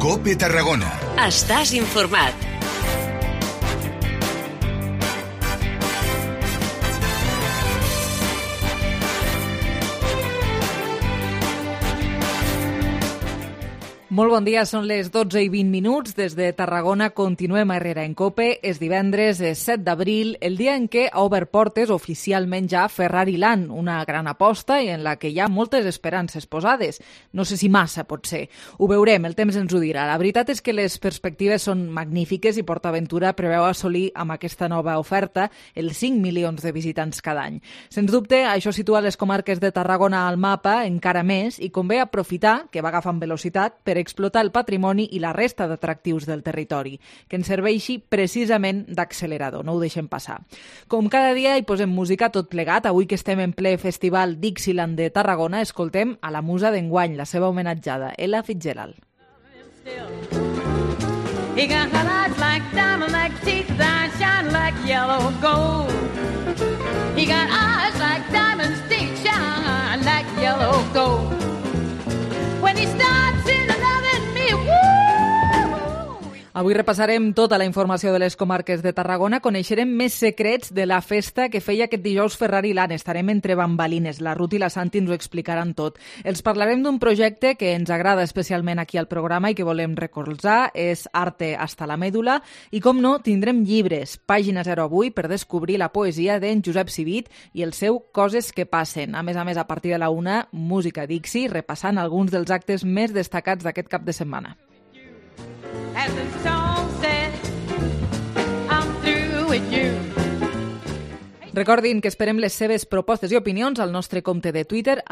COPE Tarragona. Estàs informat. Molt bon dia, són les 12:20. Des de Tarragona continuem a Herrera en COPE. És divendres, és 7 d'abril, el dia en què ha obert portes oficialment ja Ferrari Land, una gran aposta i en la que hi ha moltes esperances posades. No sé si massa, pot ser. Ho veurem, el temps ens ho dirà. La veritat és que les perspectives són magnífiques i PortAventura preveu assolir amb aquesta nova oferta els 5 milions de visitants cada any. Sens dubte, això situa les comarques de Tarragona al mapa encara més i convé aprofitar, que va agafant velocitat, per explotar el patrimoni i la resta d'atractius del territori, que ens serveixi precisament d'accelerador, no ho deixem passar. Com cada dia hi posem música tot plegat, avui que estem en ple festival Dixieland de Tarragona, escoltem a la musa d'enguany, la seva homenatjada, Ella Fitzgerald. He got eyes like diamond, like teeth that shine like yellow gold. He got eyes like diamonds, teeth shine like yellow gold. When he starts in loving me, woo! Avui repassarem tota la informació de les comarques de Tarragona, coneixerem més secrets de la festa que feia aquest dijous Ferrari Land. Estarem entre bambalines, la Ruth i la Santi ens ho explicaran tot. Els parlarem d'un projecte que ens agrada especialment aquí al programa i que volem recolzar, és Arte hasta la Mèdula, i com no, tindrem llibres, Pàgina 0 avui, per descobrir la poesia d'en Josep Civit i el seu Coses que passen. A més, a partir de la 1, música Dixie, repassant alguns dels actes més destacats d'aquest cap de setmana. As the song said, I'm through with you. Recordin que esperem les seves propostes i opinions al nostre compte de Twitter,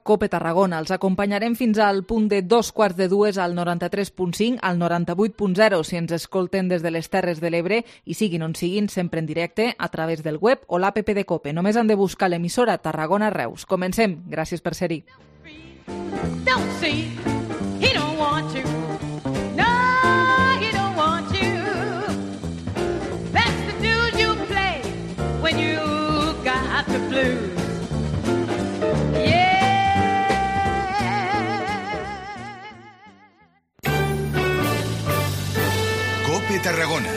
@CopeTarragona. Els acompanyarem fins al punt de 2:45 al 93.5, al 98.0 si ens escolten des de les Terres de l'Ebre i siguin on siguin, sempre en directe a través del web o l'app de COPE. Només han de buscar l'emissora Tarragona Reus. Comencem. Gràcies per ser-hi. Don't see, he don't want you. When you got the blues, yeah. COPE Tarragona.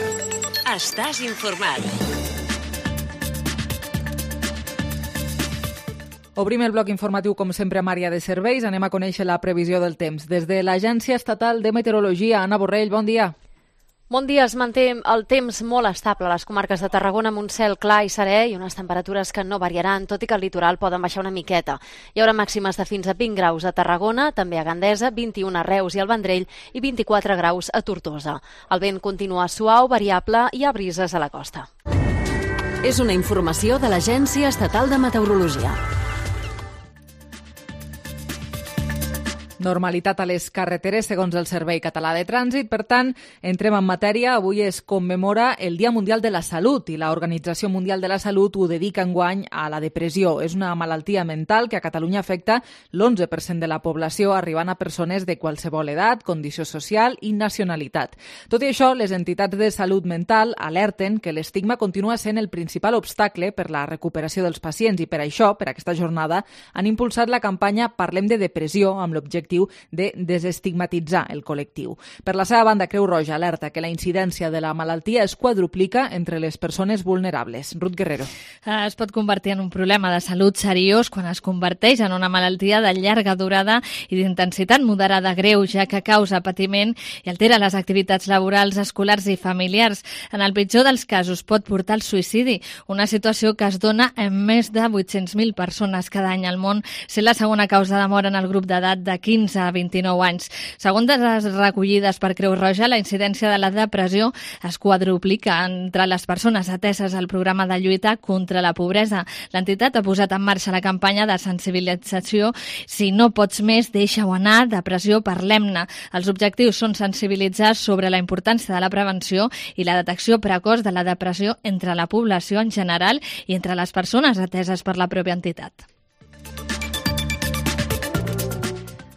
Estàs informat. Obrim el bloc informatiu, com sempre, amb àrea de serveis. Anem a conèixer la previsió del temps. Des de l'Agència Estatal de Meteorologia, Anna Borrell, bon dia. Bon dia, es manté el temps molt estable a les comarques de Tarragona amb un cel clar i serè i unes temperatures que no variaran, tot i que al litoral poden baixar una miqueta. Hi haurà màximes de fins a 20 graus a Tarragona, també a Gandesa, 21 a Reus i al Vendrell i 24 graus a Tortosa. El vent continua suau, variable i hi ha brises a la costa. És una informació de l'Agència Estatal de Meteorologia. Normalitat a les carreteres, segons el Servei Català de Trànsit. Per tant, entrem en matèria. Avui es commemora el Dia Mundial de la Salut i l'Organització Mundial de la Salut ho dedica enguany a la depressió. És una malaltia mental que a Catalunya afecta l'11% de la població, arribant a persones de qualsevol edat, condició social i nacionalitat. Tot i això, les entitats de salut mental alerten que l'estigma continua sent el principal obstacle per la recuperació dels pacients i per això, per aquesta jornada, han impulsat la campanya Parlem de Depressió amb l'objectiu de desestigmatitzar el col·lectiu. Per la seva banda, Creu Roja alerta que la incidència de la malaltia es quadruplica entre les persones vulnerables. Ruth Guerrero. Es pot convertir en un problema de salut seriós quan es converteix en una malaltia de llarga durada i d'intensitat moderada greu, ja que causa patiment i altera les activitats laborals, escolars i familiars. En el pitjor dels casos pot portar al suïcidi, una situació que es dona en més de 800.000 persones cada any al món, sent la segona causa de mort en el grup d'edat de 15 a 29 anys. Segons les recollides per Creu Roja, la incidència de la depressió es quadruplica entre les persones ateses al programa de lluita contra la pobresa. L'entitat ha posat en marxa la campanya de sensibilització Si no pots més, deixa-ho anar, depressió, parlem-ne. Els objectius són sensibilitzar sobre la importància de la prevenció i la detecció precoç de la depressió entre la població en general i entre les persones ateses per la pròpia entitat.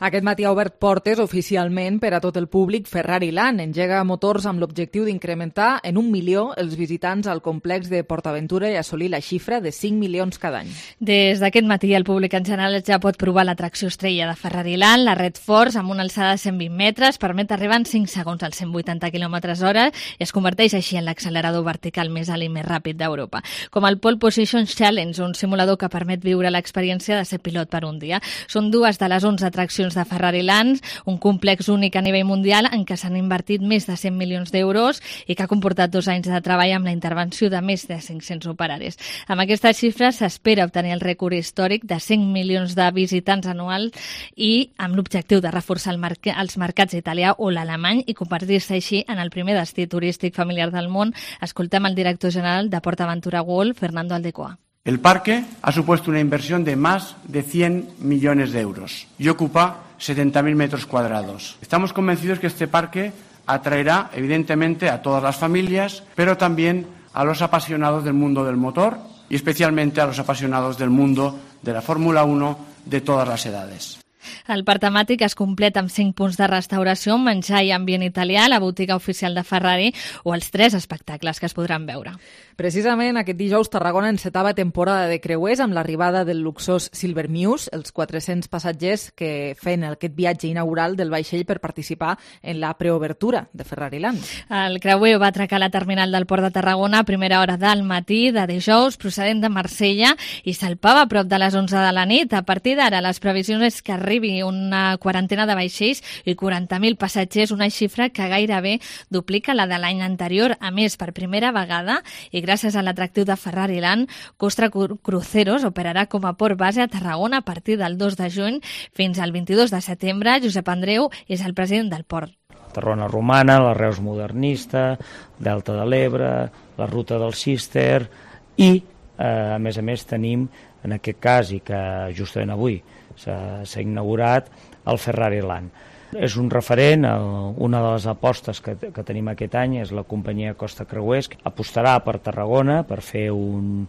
Aquest matí ha obert portes oficialment per a tot el públic Ferrari Land. Engega motors amb l'objectiu d'incrementar en 1 milió els visitants al complex de PortAventura i assolir la xifra de 5 milions cada any. Des d'aquest matí el públic en general ja pot provar l'atracció estrella de Ferrari Land, la Red Force, amb una alçada de 120 metres, permet arribar en 5 segons als 180 km/h i es converteix així en l'accelerador vertical més alt i més ràpid d'Europa. Com el Pole Position Challenge, un simulador que permet viure l'experiència de ser pilot per un dia. Són dues de les 11 atraccions de Ferrari Land, un complex únic a nivell mundial en què s'han invertit més de 100 milions d'euros i que ha comportat 2 anys de treball amb la intervenció de més de 500 operaris. Amb aquestes xifres s'espera obtenir el rècord històric de 100 milions de visitants anuals i amb l'objectiu de reforçar els mercats italià o l'alemany i convertir-se així en el primer destí turístic familiar del món. Escoltem el director general de PortAventura World, Fernando Aldecoa. El parque ha supuesto una inversión de más de 100 millones de euros y ocupa 70.000 metros cuadrados. Estamos convencidos que este parque atraerá evidentemente a todas las familias, pero también a los apasionados del mundo del motor y especialmente a los apasionados del mundo de la Fórmula 1 de todas las edades. El parc temàtic es completa amb 5 punts de restauració, menjar i ambient italià, la botiga oficial de Ferrari o els 3 espectacles que es podran veure. Precisament aquest dijous Tarragona encetava temporada de creuers amb l'arribada del luxós Silver Muse, els 400 passatgers que feien aquest viatge inaugural del vaixell per participar en la preobertura de Ferrari Land. El creuer va atracar a la terminal del Port de Tarragona a primera hora del matí de dijous, procedent de Marsella, i salpava a prop de les 11 de la nit. A partir d'ara, les previsions és que arribi una quarantena de vaixells i 40.000 passatgers, una xifra que gairebé duplica la de l'any anterior. A més, per primera vegada, i gràcies a l'atractiu de Ferrari Land, Costa Cruceros operarà com a port base a Tarragona a partir del 2 de juny fins al 22 de setembre. Josep Andreu és el president del port. Tarragona romana, la Reus modernista, Delta de l'Ebre, la ruta del Cister i, a més tenim, en aquest cas, i que justament avui s'ha inaugurat, el Ferrari Land. És un referent, una de les apostes que tenim aquest any és la companyia Costa Creuers, que apostarà per Tarragona per fer un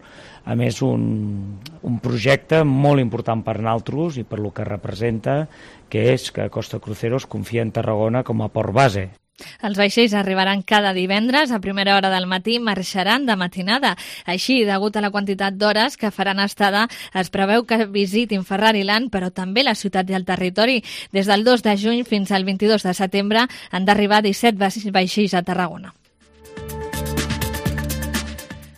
projecte molt important per nosaltres i per lo que representa, que és que Costa Cruceros confia en Tarragona com a port base. Els vaixells arribaran cada divendres a primera hora del matí i marxaran de matinada. Així, degut a la quantitat d'hores que faran estada, es preveu que visitin Ferrari Land, però també la ciutat i el territori. Des del 2 de juny fins al 22 de setembre han d'arribar 17 vaixells a Tarragona.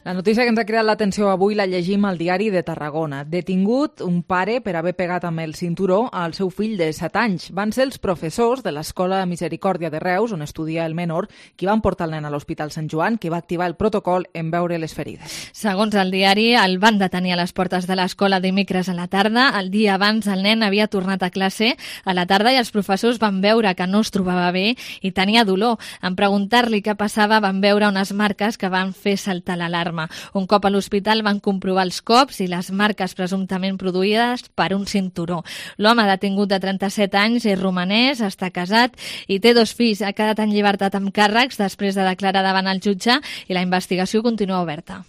La notícia que ens ha creat l'atenció avui la llegim al diari de Tarragona. Detingut un pare per haver pegat amb el cinturó al seu fill de 7 anys. Van ser els professors de l'Escola Misericòrdia de Reus, on estudia el menor, qui van portar el nen a l'Hospital Sant Joan, que va activar el protocol en veure les ferides. Segons el diari, el van detenir a les portes de l'escola dimecres a la tarda. El dia abans el nen havia tornat a classe a la tarda i els professors van veure que no es trobava bé i tenia dolor. En preguntar-li què passava van veure unes marques que van fer saltar l'alarma. Un cop a l'hospital van comprovar els cops i les marques presumptament produïdes per un cinturó. L'home detingut de 37 anys és romanès, està casat i té 2 fills. Ha quedat en llibertat amb càrrecs després de declarar davant el jutge i la investigació continua oberta.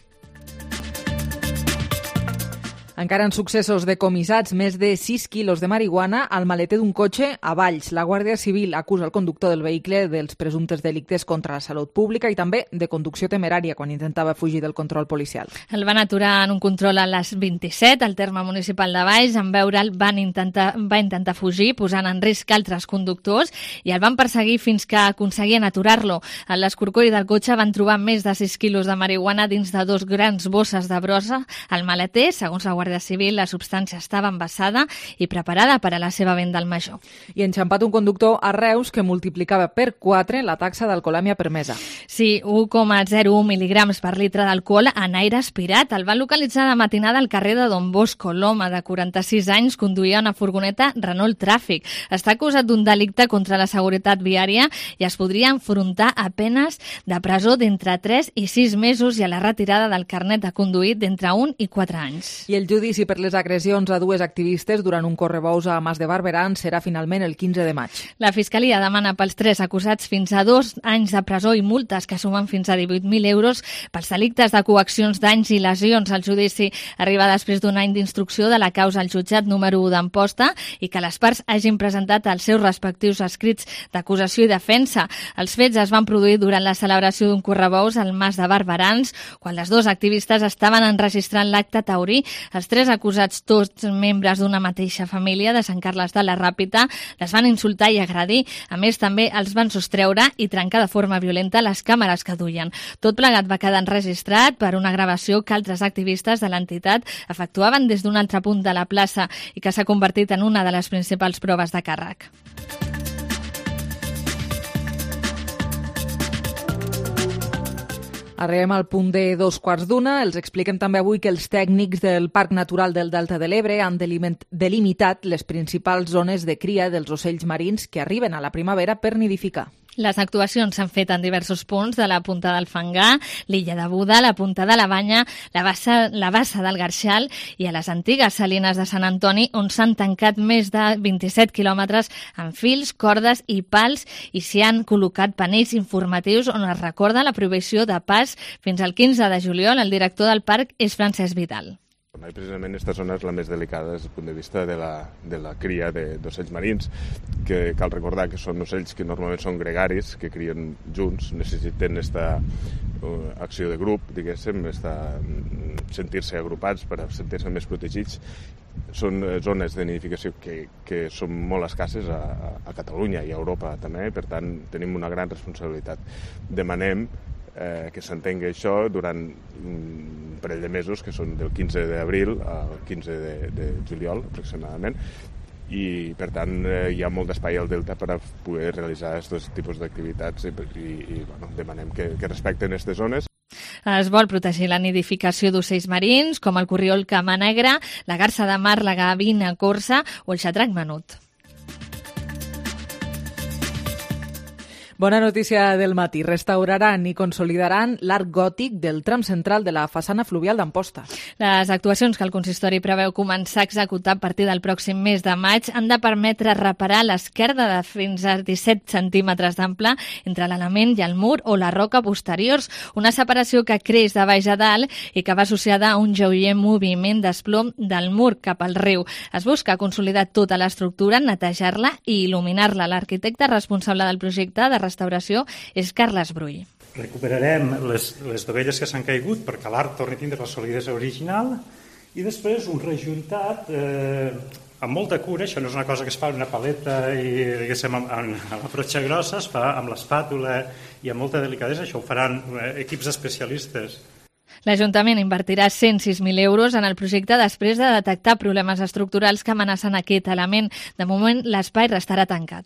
Encara en successos decomissats, més de 6 quilos de marihuana al maleter d'un cotxe a Valls. La Guàrdia Civil acusa el conductor del vehicle dels presumptes delictes contra la salut pública i també de conducció temerària quan intentava fugir del control policial. El van aturar en un control a les 27 al terme municipal de Valls. En veure'l va intentar fugir, posant en risc altres conductors, i el van perseguir fins que aconseguien aturar-lo. A l'escorcoll del cotxe van trobar més de 6 quilos de marihuana dins de 2 grans bosses de brossa. Al maleter, segons la Guàrdia Civil, la substància estava envasada i preparada per a la seva venda al major. I enxampat un conductor a Reus que multiplicava per 4 la taxa d'alcoholèmia permesa. Sí, 1,01 mil·lígrams per litre d'alcohol en aire aspirat. El van localitzar de matinada al carrer de Don Bosco. L'home de 46 anys conduïa una furgoneta Renault Tràfic. Està acusat d'un delicte contra la seguretat viària i es podria enfrontar a penes de presó d'entre 3 i 6 mesos i a la retirada del carnet de conduir d'entre 1 i 4 anys. I el judici per les agressions a dues activistes durant un correbous a Mas de Barberans serà finalment el 15 de maig. La Fiscalia demana pels 3 acusats fins a 2 anys de presó i multes que sumen fins a 18.000 euros pels delictes de coaccions, danys i lesions. El judici arriba després d'un any d'instrucció de la causa al jutjat número 1 d'Amposta i que les parts hagin presentat els seus respectius escrits d'acusació i defensa. Els fets es van produir durant la celebració d'un correbous al Mas de Barberans, quan les dues activistes estaven enregistrant l'acte taurí. Els 3 acusats, tots membres d'una mateixa família de Sant Carles de la Ràpita, les van insultar i agredir. A més, també els van sostreure i trencar de forma violenta les càmeres que duien. Tot plegat va quedar enregistrat per una gravació que altres activistes de l'entitat efectuaven des d'un altre punt de la plaça i que s'ha convertit en una de les principals proves de càrrec. Arribem al punt de 2:15. Els expliquem també avui que els tècnics del Parc Natural del Delta de l'Ebre han delimitat les principals zones de cria dels ocells marins que arriben a la primavera per nidificar. Les actuacions s'han fet en diversos punts de la Punta del Fangar, l'illa de Buda, la Punta de la Banya, la bassa del Garxal i a les antigues salines de Sant Antoni, on s'han tancat més de 27 quilòmetres amb fils, cordes i pals i s'hi han col·locat panells informatius on es recorda la prohibició de pas fins al 15 de juliol. El director del parc és Francesc Vidal. Precisament aquesta zona és la més delicada des del punt de vista de la cria d'ocells marins, que cal recordar que són ocells que normalment són gregaris, que crien junts, necessiten aquesta acció de grup, diguéssim, sentir-se agrupats per sentir-se més protegits. Són zones de nidificació que són molt escasses a Catalunya i a Europa també, per tant tenim una gran responsabilitat. Demanem que s'entengui això durant un parell de mesos, que són del 15 d'abril al 15 de juliol aproximadament, i per tant hi ha molt d'espai al delta per a poder realitzar aquests tipus d'activitats i demanem que respecten aquestes zones. Es vol protegir la nidificació d'ocells marins, com el corriol cama negra, la garsa de mar, la gavina corsa o el xatrac menut. Bona notícia del matí. Restauraran i consolidaran l'arc gòtic del tram central de la façana fluvial d'Amposta. Les actuacions que el consistori preveu començar a executar a partir del pròxim mes de maig han de permetre reparar l'esquerda de fins a 17 centímetres d'ample entre l'element i el mur o la roca posteriors, una separació que creix de baix a dalt i que va associada a un lleuger moviment d'esplom del mur cap al riu. Es busca consolidar tota l'estructura, netejar-la i il·luminar-la. L'arquitecte responsable del projecte de restauració és Carles Brull. Recuperarem les dovelles que s'han caigut perquè l'arc torni a tindre la solidesa original i després un rejuntat amb molta cura. Això no és una cosa que es fa en una paleta i diguéssim amb la frotxa grossa, es fa amb l'espàtula i amb molta delicadesa. Això ho faran equips especialistes. L'Ajuntament invertirà 106.000 euros en el projecte després de detectar problemes estructurals que amenacen aquest element. De moment, l'espai restarà tancat.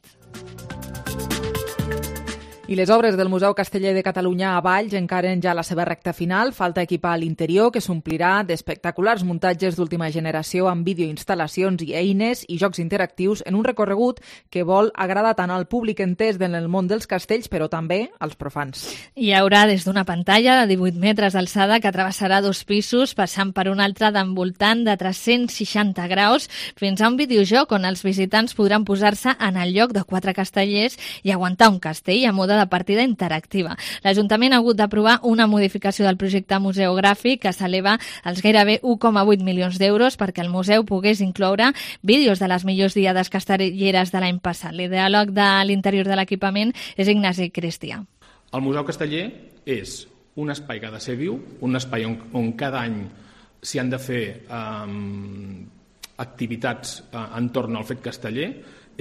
I les obres del Museu Casteller de Catalunya a Valls encaren ja la seva recta final. Falta equipar l'interior, que s'omplirà d'espectaculars muntatges d'última generació amb videoinstal·lacions i eines i jocs interactius en un recorregut que vol agradar tant al públic entès en el món dels castells, però també als profans. Hi haurà des d'una pantalla de 18 metres d'alçada que travessarà 2 pisos, passant per un altre d'envoltant de 360 graus, fins a un videojoc on els visitants podran posar-se en el lloc de 4 castellers i aguantar un castell a mode de partida interactiva. L'Ajuntament ha hagut d'aprovar una modificació del projecte museogràfic que s'eleva als gairebé 1,8 milions d'euros perquè el museu pogués incloure vídeos de les millors diades castelleres de l'any passat. L'ideòleg de l'interior de l'equipament és Ignasi Cristià. El Museu Casteller és un espai que ha de ser viu, un espai on cada any s'hi han de fer activitats entorn al fet casteller.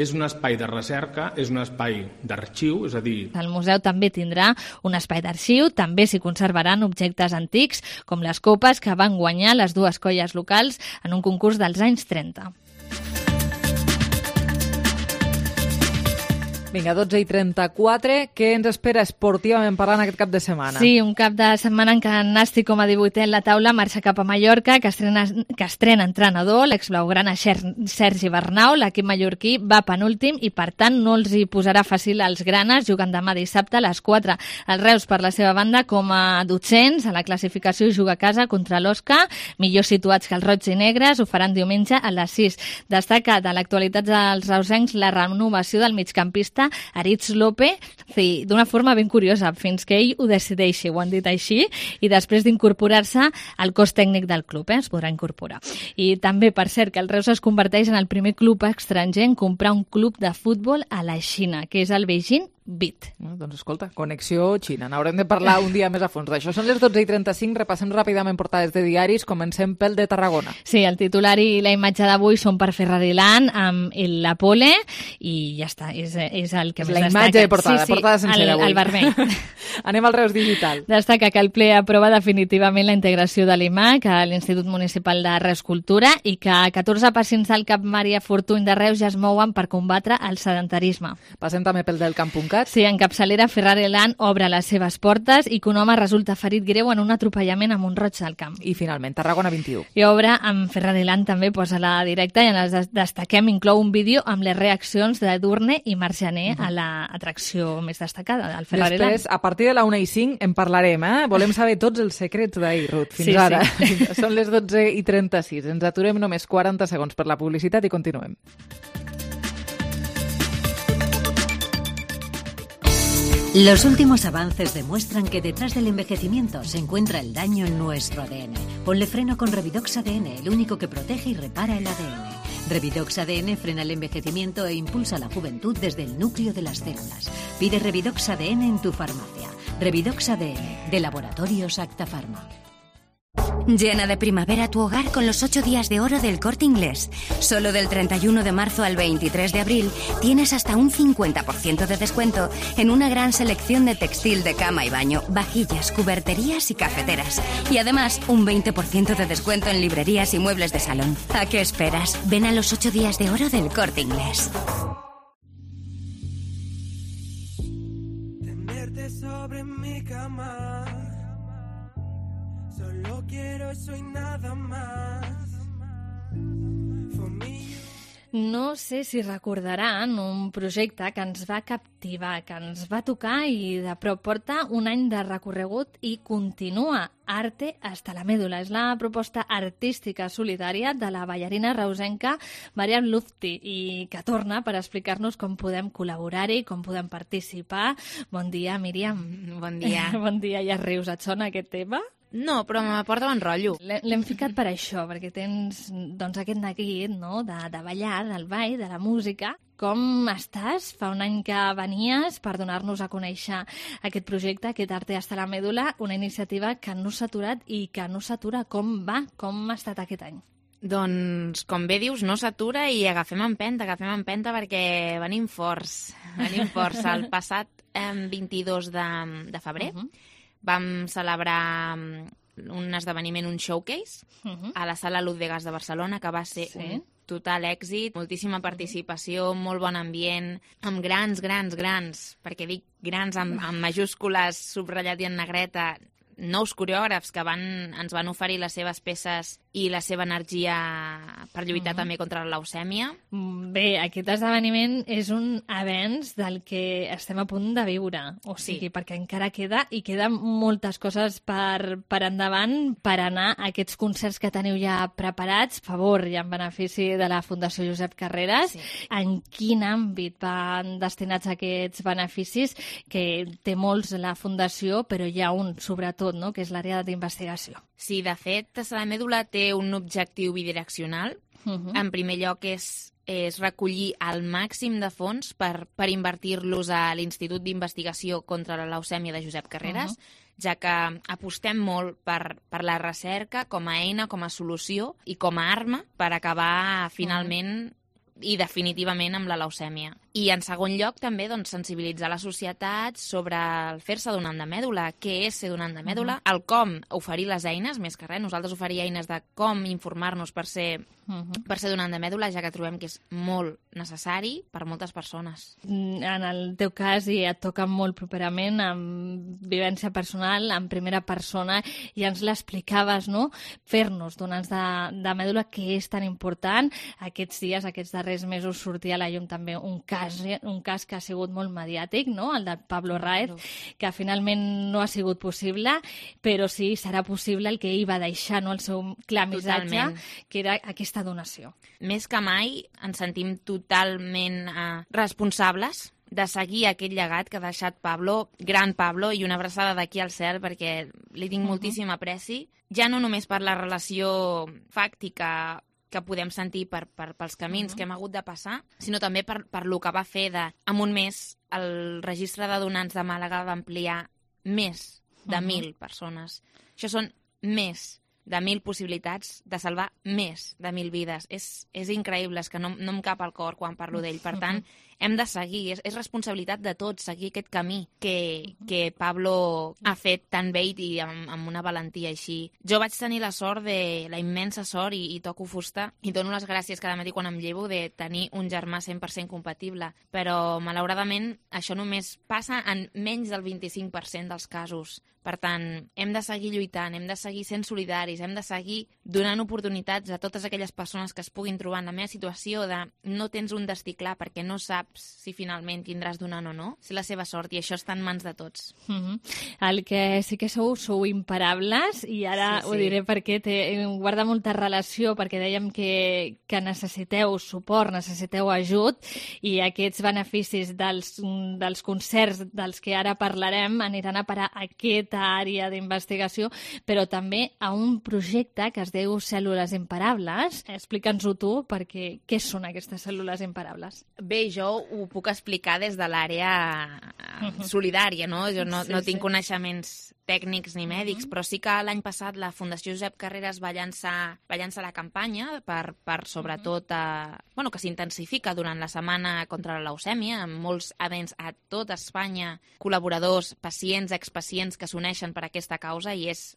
És un espai de recerca, és un espai d'arxiu, és a dir... El museu també tindrà un espai d'arxiu, també s'hi conservaran objectes antics, com les copes que van guanyar les dues colles locals en un concurs dels anys 30. Vinga, 12:34. Què ens espera esportivament parlant aquest cap de setmana? Sí, un cap de setmana en què el Nàstic, com a 18è en la taula, marxa cap a Mallorca, que estrena entrenador, l'exblaugrana Sergi Bernau. L'equip mallorquí va penúltim i, per tant, no els hi posarà fàcil als granes, jugant demà dissabte a les 4. El Reus, per la seva banda, com a 200 a la classificació, juga a casa contra l'Osca, millor situats que els roig i negres, ho faran diumenge a les 6. Destaca de l'actualitat dels reusencs la renovació del migcampista Aritz López, d'una forma ben curiosa, fins que ell ho decideixi, ho han dit així, i després d'incorporar-se al cos tècnic del club, es podrà incorporar. I també, per cert, que el Reus es converteix en el primer club estranger en comprar un club de futbol a la Xina, que és el Beijing Bit. Doncs escolta, connexió Xina. N'haurem de parlar un dia més a fons d'això. Són les 12:35, repassem ràpidament portades de diaris, comencem pel de Tarragona. Sí, el titular i la imatge d'avui són per Ferrari Land amb la pole i ja està, és el que més destaca. La imatge de portada, sí, portada sencera avui. El vermell. Anem al Reus Digital. Destaca que el ple aprova definitivament la integració de l'IMAC a l'Institut Municipal de Reus Cultura i que 14 pacients del Cap Maria Fortuny de Reus ja es mouen per combatre el sedentarisme. Passem també pel del Camp.cat. Sí, en capçalera, Ferrari Land obre les seves portes i que un home resulta ferit greu en un atropellament a Mont-roig del Camp. I finalment, Tarragona 21. I obre amb Ferrari Land també posa la directa i en les destaquem inclou un vídeo amb les reaccions de Durne i Marjaner a l'atracció més destacada del Ferrari Land. Després, a partir de la 1:05 en parlarem, Volem saber tots els secrets d'ahir, Ruth, fins ara. Sí. Són les 12:36. Ens aturem només 40 segons per la publicitat i continuem. Los últimos avances demuestran que detrás del envejecimiento se encuentra el daño en nuestro ADN. Ponle freno con Revidox ADN, el único que protege y repara el ADN. Revidox ADN frena el envejecimiento e impulsa la juventud desde el núcleo de las células. Pide Revidox ADN en tu farmacia. Revidox ADN, de Laboratorios Acta Pharma. Llena de primavera tu hogar con los 8 días de oro del Corte Inglés. Solo del 31 de marzo al 23 de abril tienes hasta un 50% de descuento en una gran selección de textil de cama y baño, vajillas, cuberterías y cafeteras. Y además un 20% de descuento en librerías y muebles de salón. ¿A qué esperas? Ven a los 8 días de oro del Corte Inglés. Tenerte sobre mi cama. Solo quiero eso y nada más. No sé si recordaran un projecte que ens va captivar, que ens va tocar i de prop porta un any de recorregut i continua. Arte hasta la médula. És la proposta artística solidària de la ballarina reusenca Mariam Lufti i que torna per explicar-nos com podem col·laborar-hi, com podem participar. Bon dia, Míriam. Bon dia. Bon dia, ja rius. Et sona aquest tema? No, però m'aporta bon rotllo. L'hem ficat per això, perquè tens doncs, aquest neguit, no?, de ballar, del ball, de la música. Com estàs? Fa un any que venies per donar-nos a conèixer aquest projecte, aquest Arte hasta la médula, una iniciativa que no s'ha aturat i que no s'atura. Com va? Com ha estat aquest any? Doncs, com bé dius, no s'atura i agafem empenta perquè venim forts. El passat 22 de febrer vam celebrar un esdeveniment, un showcase, a la Sala Luz de Gas de Barcelona, que va ser un total èxit, moltíssima participació, molt bon ambient, amb grans, perquè dic grans amb majúscules, subratllat i en negreta, nous coreògrafs que ens van oferir les seves peces i la seva energia per lluitar també contra la leucèmia. Bé, aquest esdeveniment és un avenç del que estem a punt de viure, o sigui, perquè encara queden moltes coses per endavant, per anar a aquests concerts que teniu ja preparats, favor i en benefici de la Fundació Josep Carreras. En quin àmbit van destinats aquests beneficis? Que té molts la Fundació, però hi ha un, sobretot, no?, que és l'àrea d'investigació. Sí, de fet, la mèdula té un objectiu bidireccional. En primer lloc és recollir el màxim de fons per invertir-los a l'Institut d'Investigació contra la Leucèmia de Josep Carreras, ja que apostem molt per la recerca com a eina, com a solució i com a arma per acabar finalment i definitivament amb la leucèmia. I en segon lloc també doncs, sensibilitzar la societat sobre el fer-se donant de mèdula, què és ser donant de mèdula, el com oferir les eines, més que res, nosaltres oferir eines de com informar-nos per ser donant de mèdula, ja que trobem que és molt necessari per moltes persones. En el teu cas, i et toca molt properament, amb vivència personal, en primera persona, i ens l'explicaves, no? Fer-nos donants de mèdula, que és tan important. Aquests dies, aquests darrers mesos, sortia a la llum també un cas que ha sigut molt mediàtic, no? El de Pablo Raez, que finalment no ha sigut possible, però sí serà possible el que ell va deixar, no? El seu clar missatge, que era aquesta donació. Més que mai ens sentim totalment responsables de seguir aquell llegat que ha deixat Pablo, gran Pablo, i una abraçada d'aquí al cel perquè li tinc moltíssim apreci, ja no només per la relació fàctica que podem sentir pels camins que hem hagut de passar, sinó també per lo que va fer en un mes el registre de donants de Màlaga va ampliar més de 1.000 persones. Això són més de 1.000 possibilitats de salvar més de 1.000 vides. És increïble, és que no em cap al cor quan parlo d'ell. Per tant, hem de seguir, és responsabilitat de tots seguir aquest camí que Pablo ha fet tan bé i amb una valentia així. Jo vaig tenir la sort, la immensa sort, i toco fusta, i dono les gràcies cada matí quan em llevo de tenir un germà 100% compatible, però malauradament això només passa en menys del 25% dels casos. Per tant, hem de seguir lluitant, hem de seguir sent solidaris, hem de seguir donant oportunitats a totes aquelles persones que es puguin trobar en la meva situació de no tens un destí clar perquè no saps si finalment tindràs donant o no. És la seva sort i això està en mans de tots. El que sí que sou imparables, i ara ho diré perquè guarda molta relació, perquè dèiem que necessiteu suport, necessiteu ajut, i aquests beneficis dels concerts dels que ara parlarem aniran a parar a aquesta àrea d'investigació, però també a un projecte que es diu Cèl·lules Imparables. Explica'ns-ho tu, perquè què són aquestes cèl·lules imparables? Bé, jo ho puc explicar des de l'àrea solidària, no? Jo no tinc coneixements tècnics ni mèdics, però sí que l'any passat la Fundació Josep Carreras va llançar la campanya per sobretot que s'intensifica durant la setmana contra la leucèmia, amb molts events a tot Espanya, col·laboradors, pacients, expacients que s'uneixen per aquesta causa, i és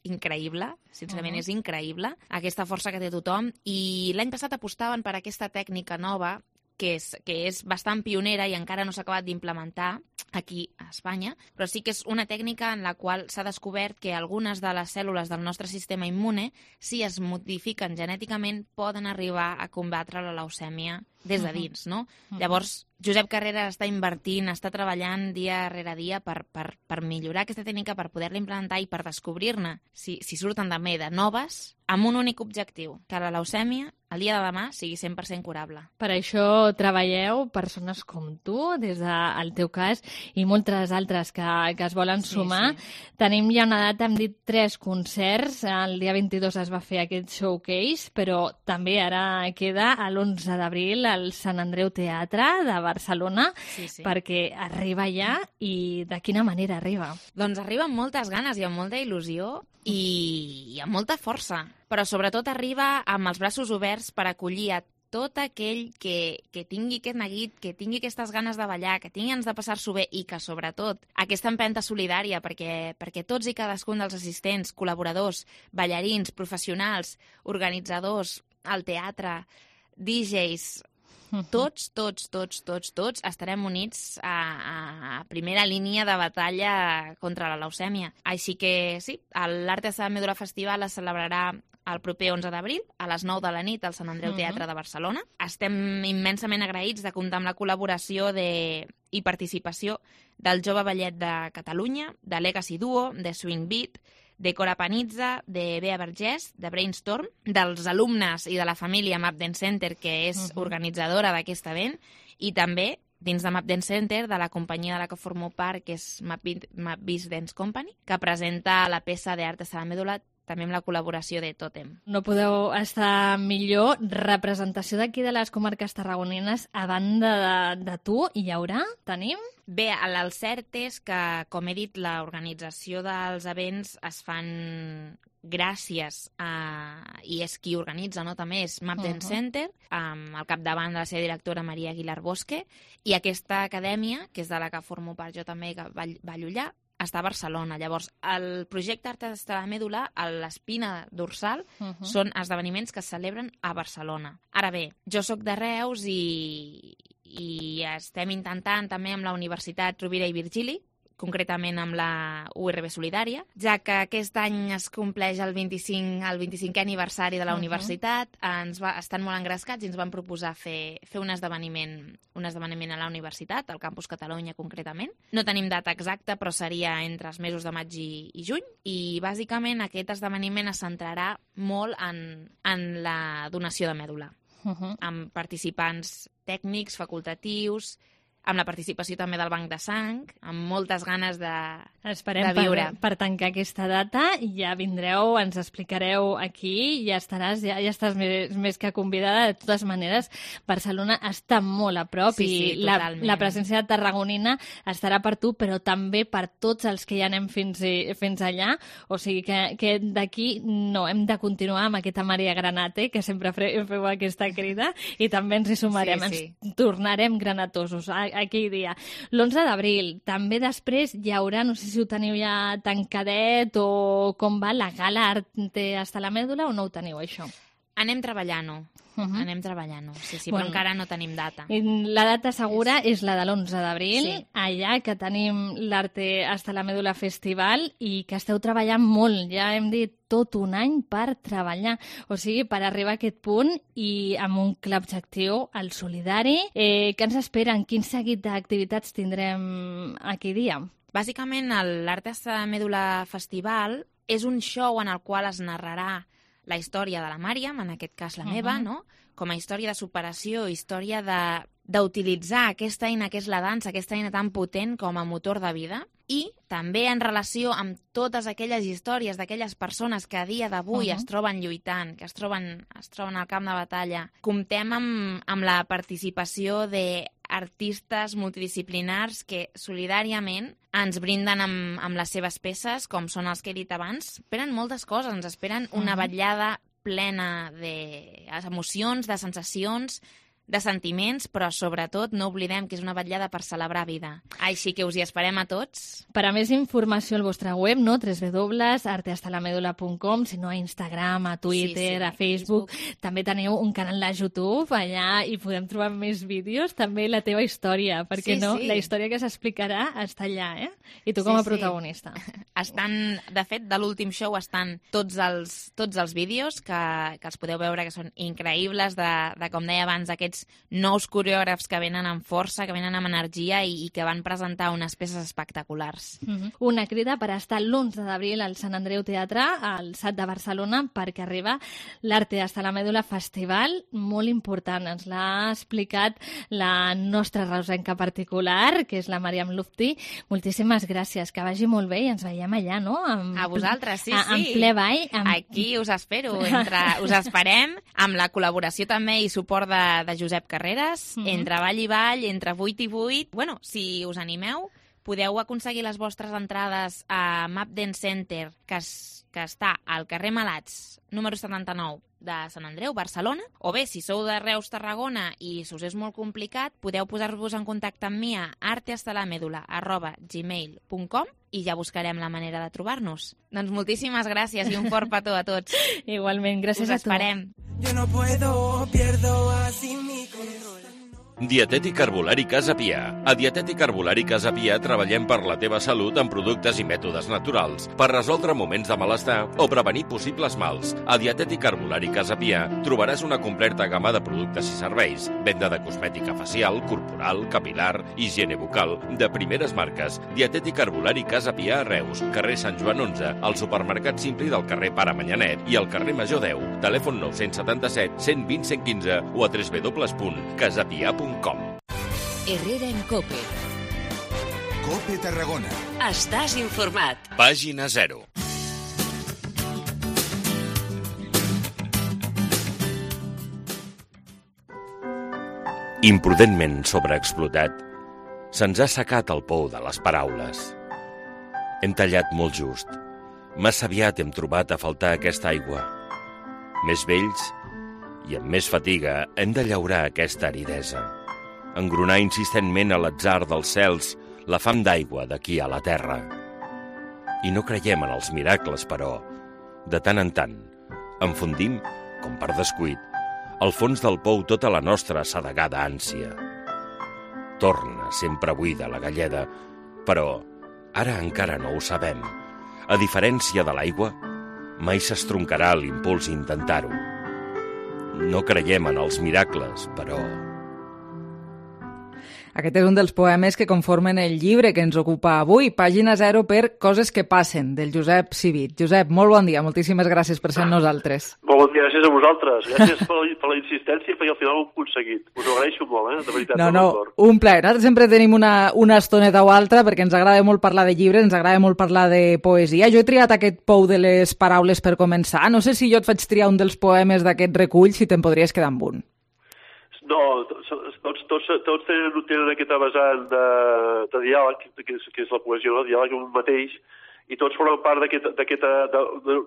increïble, sincerament és increïble aquesta força que té tothom. I l'any passat apostaven per aquesta tècnica nova que és bastant pionera i encara no s'ha acabat d'implementar aquí a Espanya, però sí que és una tècnica en la qual s'ha descobert que algunes de les cèl·lules del nostre sistema immune, si es modifiquen genèticament, poden arribar a combatre la leucèmia des de dins, no? Llavors, Josep Carreras està invertint, està treballant dia rere dia per millorar aquesta tècnica, per poder-la implementar i per descobrir-ne, si surten també de noves, amb un únic objectiu, que la leucèmia, el dia de demà, sigui 100% curable. Per això treballeu persones com tu, des del teu cas, i moltes altres que es volen sumar. Tenim ja una data, hem dit 3 concerts, el dia 22 es va fer aquest showcase, però també ara queda l'11 d'abril al Sant Andreu Teatre de Barcelona, perquè arriba ja, i de quina manera arriba? Doncs arriba amb moltes ganes i amb molta il·lusió i amb molta força, però sobretot arriba amb els braços oberts per acollir a tot aquell que tingui aquest neguit, que tingui aquestes ganes de ballar, que tingui ganes de passar-s'ho bé i que, sobretot, aquesta empenta solidària perquè tots i cadascun dels assistents, col·laboradors, ballarins, professionals, organitzadors, al teatre, DJs, tots estarem units a primera línia de batalla contra la leucèmia. Així que sí, l'Arte de Mèdula Festival es celebrarà el proper 11 d'abril, a les 9 de la nit, al Sant Andreu Teatre de Barcelona. Estem immensament agraïts de comptar amb la col·laboració i participació del Jove Ballet de Catalunya, de Legacy Duo, de Swing Beat, de Cora Panizza, de Bea Vergés, de Brainstorm, dels alumnes i de la família Map Dance Center, que és organitzadora d'aquest event, i també, dins de Map Dance Center, de la companyia de la que formo part, que és Map Biz Dance Company, que presenta la peça d'Arte de la Mèdula també amb la col·laboració de Totem. No podeu estar millor. Representació d'aquí de les comarques tarragonines, a banda de tu, hi haurà? Tenim? Bé, el cert és que, com he dit, l'organització dels events es fan gràcies a... i és qui organitza, no? També és Map Dance Center, al capdavant de la seva directora Maria Aguilar Bosque, i aquesta acadèmia, que és de la que formo part jo també, que va allullar, està a Barcelona. Llavors, el projecte Artes de la Mèdula, l'espina dorsal, són esdeveniments que es celebren a Barcelona. Ara bé, jo sóc de Reus i estem intentant també amb la Universitat Rovira i Virgili, concretament amb la URB Solidària, ja que aquest any es compleix el 25è aniversari de la universitat, estan molt engrescats i ens van proposar fer un esdeveniment a la universitat, al Campus Catalunya concretament. No tenim data exacta, però seria entre els mesos de maig i juny, i bàsicament aquest esdeveniment es centrarà molt en la donació de mèdula, amb participants tècnics, facultatius, amb la participació també del Banc de Sang, amb moltes ganes de viure. Esperem per tancar aquesta data, ja vindreu, ens explicareu aquí, ja estàs més que convidada. De totes maneres, Barcelona està molt a prop i la presència tarragonina estarà per tu, però també per tots els que ja anem fins allà. O sigui que d'aquí no, hem de continuar amb aquesta Maria Granate, que sempre feu aquesta crida, i també ens hi sumarem, ens tornarem granatosos aquell dia. L'11 d'abril, també després hi haurà, no sé si ho teniu ja tancadet o com va, la gala Arte hasta la Mèdula, o no ho teniu, això? Anem treballant-ho. Anem treballant-ho, sí, però encara no tenim data. La data segura és la de l'11 d'abril, allà que tenim l'Arte hasta la Mèdula Festival i que esteu treballant molt, ja hem dit tot un any per treballar, o sigui, per arribar a aquest punt i amb un clar objectiu, el solidari. Què ens esperen? Quin seguit d'activitats tindrem aquell dia? Bàsicament, l'Arte hasta la Mèdula Festival és un show en el qual es narrarà la història de la Màriam, en aquest cas la meva, no? Com a història de superació, història d'utilitzar aquesta eina que és la dansa, aquesta eina tan potent com a motor de vida, i també en relació amb totes aquelles històries d'aquelles persones que a dia d'avui es troben lluitant, que es troben al camp de batalla. Comptem amb la participació d'artistes multidisciplinars que solidàriament ens brinden amb les seves peces, com són els que he dit abans. Esperen moltes coses, ens esperen una vetllada plena d'emocions, de sensacions, de sentiments, però sobretot no oblidem que és una vetllada per celebrar vida. Així que us hi esperem a tots. Per a més informació al vostre web, no? www.artehastalamedula.com, si no a Instagram, a Twitter, a Facebook. També teniu un canal de YouTube, allà hi podem trobar més vídeos, també la teva història, perquè no? La història que s'explicarà està allà, I tu com a protagonista. De fet, de l'últim show estan tots els vídeos que els podeu veure, que són increïbles, de com deia abans, aquests nous coreògrafs que venen amb força, que venen amb energia i que van presentar unes peces espectaculars. Una crida per estar l'11 d'abril al Sant Andreu Teatre, al SAT de Barcelona, perquè arriba l'Arte hasta la Mèdula Festival, molt important. Ens l'ha explicat la nostra reusenca particular, que és la Màriam Lufti. Moltíssimes gràcies, que vagi molt bé i ens veiem allà, no? A vosaltres, sí. En ple ball. Aquí us espero. Us esperem amb la col·laboració també i suport de Josep Carreras, entre ball i ball, entre 8 i 8. Bueno, si us animeu, podeu aconseguir les vostres entrades a Map Dance Center, que està al carrer Malats, número 79 de Sant Andreu, Barcelona, o bé, si sou de Reus, Tarragona i us és molt complicat, podeu posar-vos en contacte amb mi a artehastalamedula@gmail.com i ja buscarem la manera de trobar-nos. Doncs moltíssimes gràcies i un fort petó a tots. Igualment, gràcies a tu. Us esperem. Yo no puedo, pierdo así mi control. Dietètic Herbolari Casa Pia. A Dietètic Herbolari Casa Pia treballem per la teva salut amb productes i mètodes naturals per resoldre moments de malestar o prevenir possibles mals. A Dietètic Herbolari Casa Pia trobaràs una completa gamma de productes i serveis, venda de cosmètica facial, corporal, capilar, higiene bucal, de primeres marques. Dietètic Herbolari Casa Pia a Reus, carrer Sant Joan 11, al supermercat Simpli del carrer Pare Manyanet i al carrer Major 10. Telèfon 977 120 115 o a www.casapia.com. Herrera en COPE. COPE Tarragona. Estàs informat. Pàgina 0. Imprudentment sobreexplotat, se'ns ha assecat el pou de les paraules. Hem tallat molt just. Massa aviat hem trobat a faltar aquesta aigua. Més vells i amb més fatiga hem de llaurar aquesta aridesa. Engronar insistentment a l'atzar dels cels la fam d'aigua d'aquí a la terra. I no creiem en els miracles, però, de tant en tant, enfondim, com per descuit, al fons del pou tota la nostra assedegada ànsia. Torna sempre buida la galleda, però ara encara no ho sabem. A diferència de l'aigua, mai s'estroncarà l'impuls intentar-ho. No creiem en els miracles, però... Aquest és un dels poemes que conformen el llibre que ens ocupa avui, Pàgina 0 per Coses que passen, del Josep Civit. Josep, molt bon dia, moltíssimes gràcies per ser amb nosaltres. Molt bon dia, gràcies a vosaltres. Gràcies per la insistència, perquè al final ho hem aconseguit. Us ho agraeixo molt, de veritat. No, un plaer. Nosaltres sempre tenim una estoneta o altra perquè ens agrada molt parlar de llibres, ens agrada molt parlar de poesia. Jo he triat aquest pou de les paraules per començar. No sé si jo et faig triar un dels poemes d'aquest recull, si te'n podries quedar amb un. No, tots tenen aquesta vessant de diàleg, que és la poesia, no? Diàleg amb un mateix, i tots formen part d'aquesta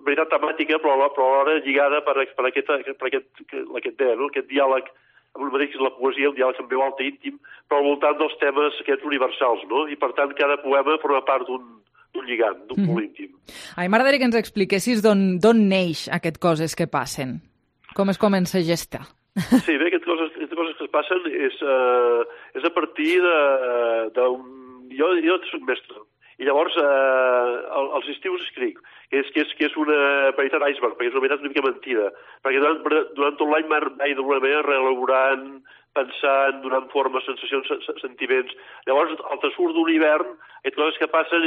veritat temàtica, però alhora lligada per aquest idea, no? Aquest diàleg amb un mateix, que és la poesia, un diàleg amb veu alta íntim, però al voltant dels temes aquests universals, no? I per tant cada poema forma part d'un lligam, d'un punt íntim. A mi m'agradaria que ens expliquessis d'on neix aquest Coses que passen. Com es comença a gestar? Sí, bé, aquestes coses que es passen és a partir d'un... Jo soc mestre, i llavors als estius escric, que és una veritat iceberg, perquè és una veritat una mica mentida, perquè durant tot l'any vaig d'alguna manera reelaborant, pensant, donant forma, sensacions, sentiments. Llavors, al transcurs d'un hivern, aquestes coses que passen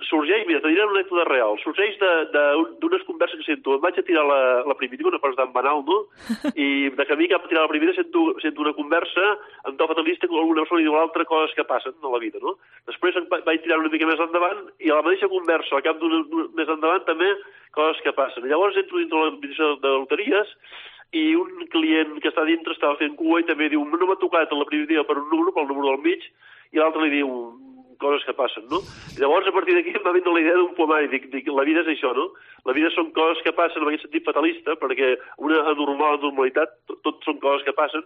sorgeix, mira, te diré una anècdota real, sorgeix d'unes converses que sento. Em vaig a tirar la primitiva, una cosa tan banal, no? I de camí cap a tirar la primitiva sento una conversa amb to fatalista que alguna persona diu a l'altra coses que passen a la vida, no? Després vaig tirar una mica més endavant i a la mateixa conversa, al cap d'un més endavant, també coses que passen. Llavors entro dintre l'administració de loteries i un client que està dintre estava fent cua i també diu no m'ha tocat a la primitiva per un número, pel número del mig, i l'altre li diu coses que passen, no? I llavors, a partir d'aquí, em va vindre la idea d'un poemari. Dic, la vida és això, no? La vida són coses que passen en aquest sentit fatalista, perquè una normalitat, tot són coses que passen,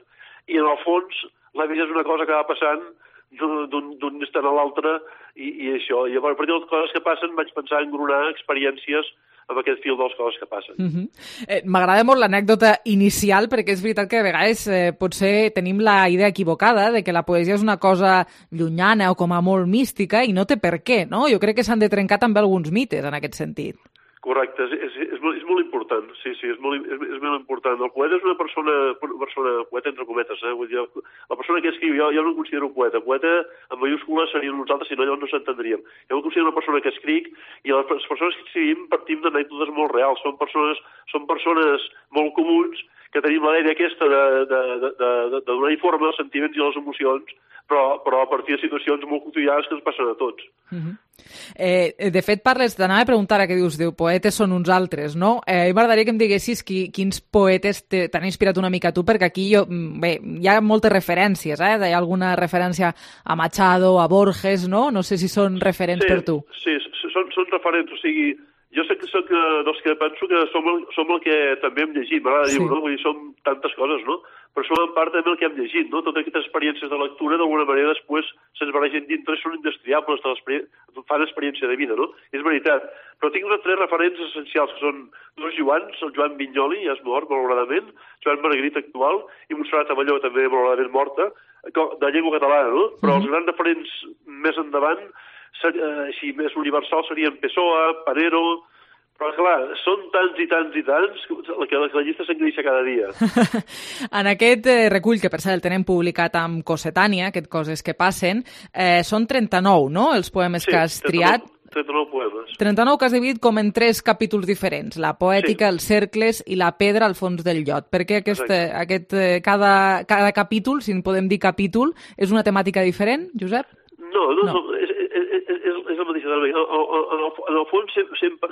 i en el fons, la vida és una cosa que va passant d'un instant a l'altre, i això. I a partir de les coses que passen vaig pensar en engronar experiències amb aquest fil de les coses que passen. M'agrada molt l'anècdota inicial, perquè és veritat que a vegades potser tenim la idea equivocada de que la poesia és una cosa llunyana o com a molt mística i no té per què, no? Jo crec que s'han de trencar també alguns mites en aquest sentit. Correcte, és molt important, sí, és molt important. El poeta és una persona poeta entre cometes, vull dir, la persona que escriu, jo no em considero poeta en mayúscules serien nosaltres, si no llavors no s'entendríem. Jo em considero una persona que escric i les persones que escrivim partim d'anècdotes molt reals, són persones molt comuns que tenim la idea aquesta de donar informe als sentiments i a les emocions, però a partir de situacions molt quotidianes que ens passen a tots. De fet, t'anava a preguntar ara que dius, poetes són uns altres, no? M'agradaria que em diguessis quins poetes t'han inspirat una mica tu, perquè aquí hi ha moltes referències, hi ha alguna referència a Machado, a Borges, no? No sé si són referents per tu. Sí, són referents, o sigui, jo sé que soc dels que penso que som el que també hem llegit, m'agrada dir-ho, no? Vull dir, som tantes coses, no? Però som en part també el que hem llegit, no? Totes aquestes experiències de lectura, d'alguna manera, després se'ns barregen dintre, són indestriables, fan experiència de vida, no? És veritat. Però tinc uns tres referents essencials, que són dos Joans, el Joan Vinyoli, ja és mort, malauradament, Joan Margarit actual, i Montserrat Abelló, també malauradament morta, de llengua catalana, no? Però els grans referents més endavant, així més universals, serien Pessoa, Panero. Però, clar, són tants i tants i tants que la llista s'engreixa cada dia. En aquest recull, que per cert el tenem publicat amb Cossetània, aquest Coses que passen, són 39, no?, els poemes que has triat. 39 poemes. 39 que has dividit com en 3 capítols diferents, la poètica, els cercles i la pedra al fons del llot. Per què cada capítol, si en podem dir capítol, és una temàtica diferent, Josep? No, és la mateixa. En el fons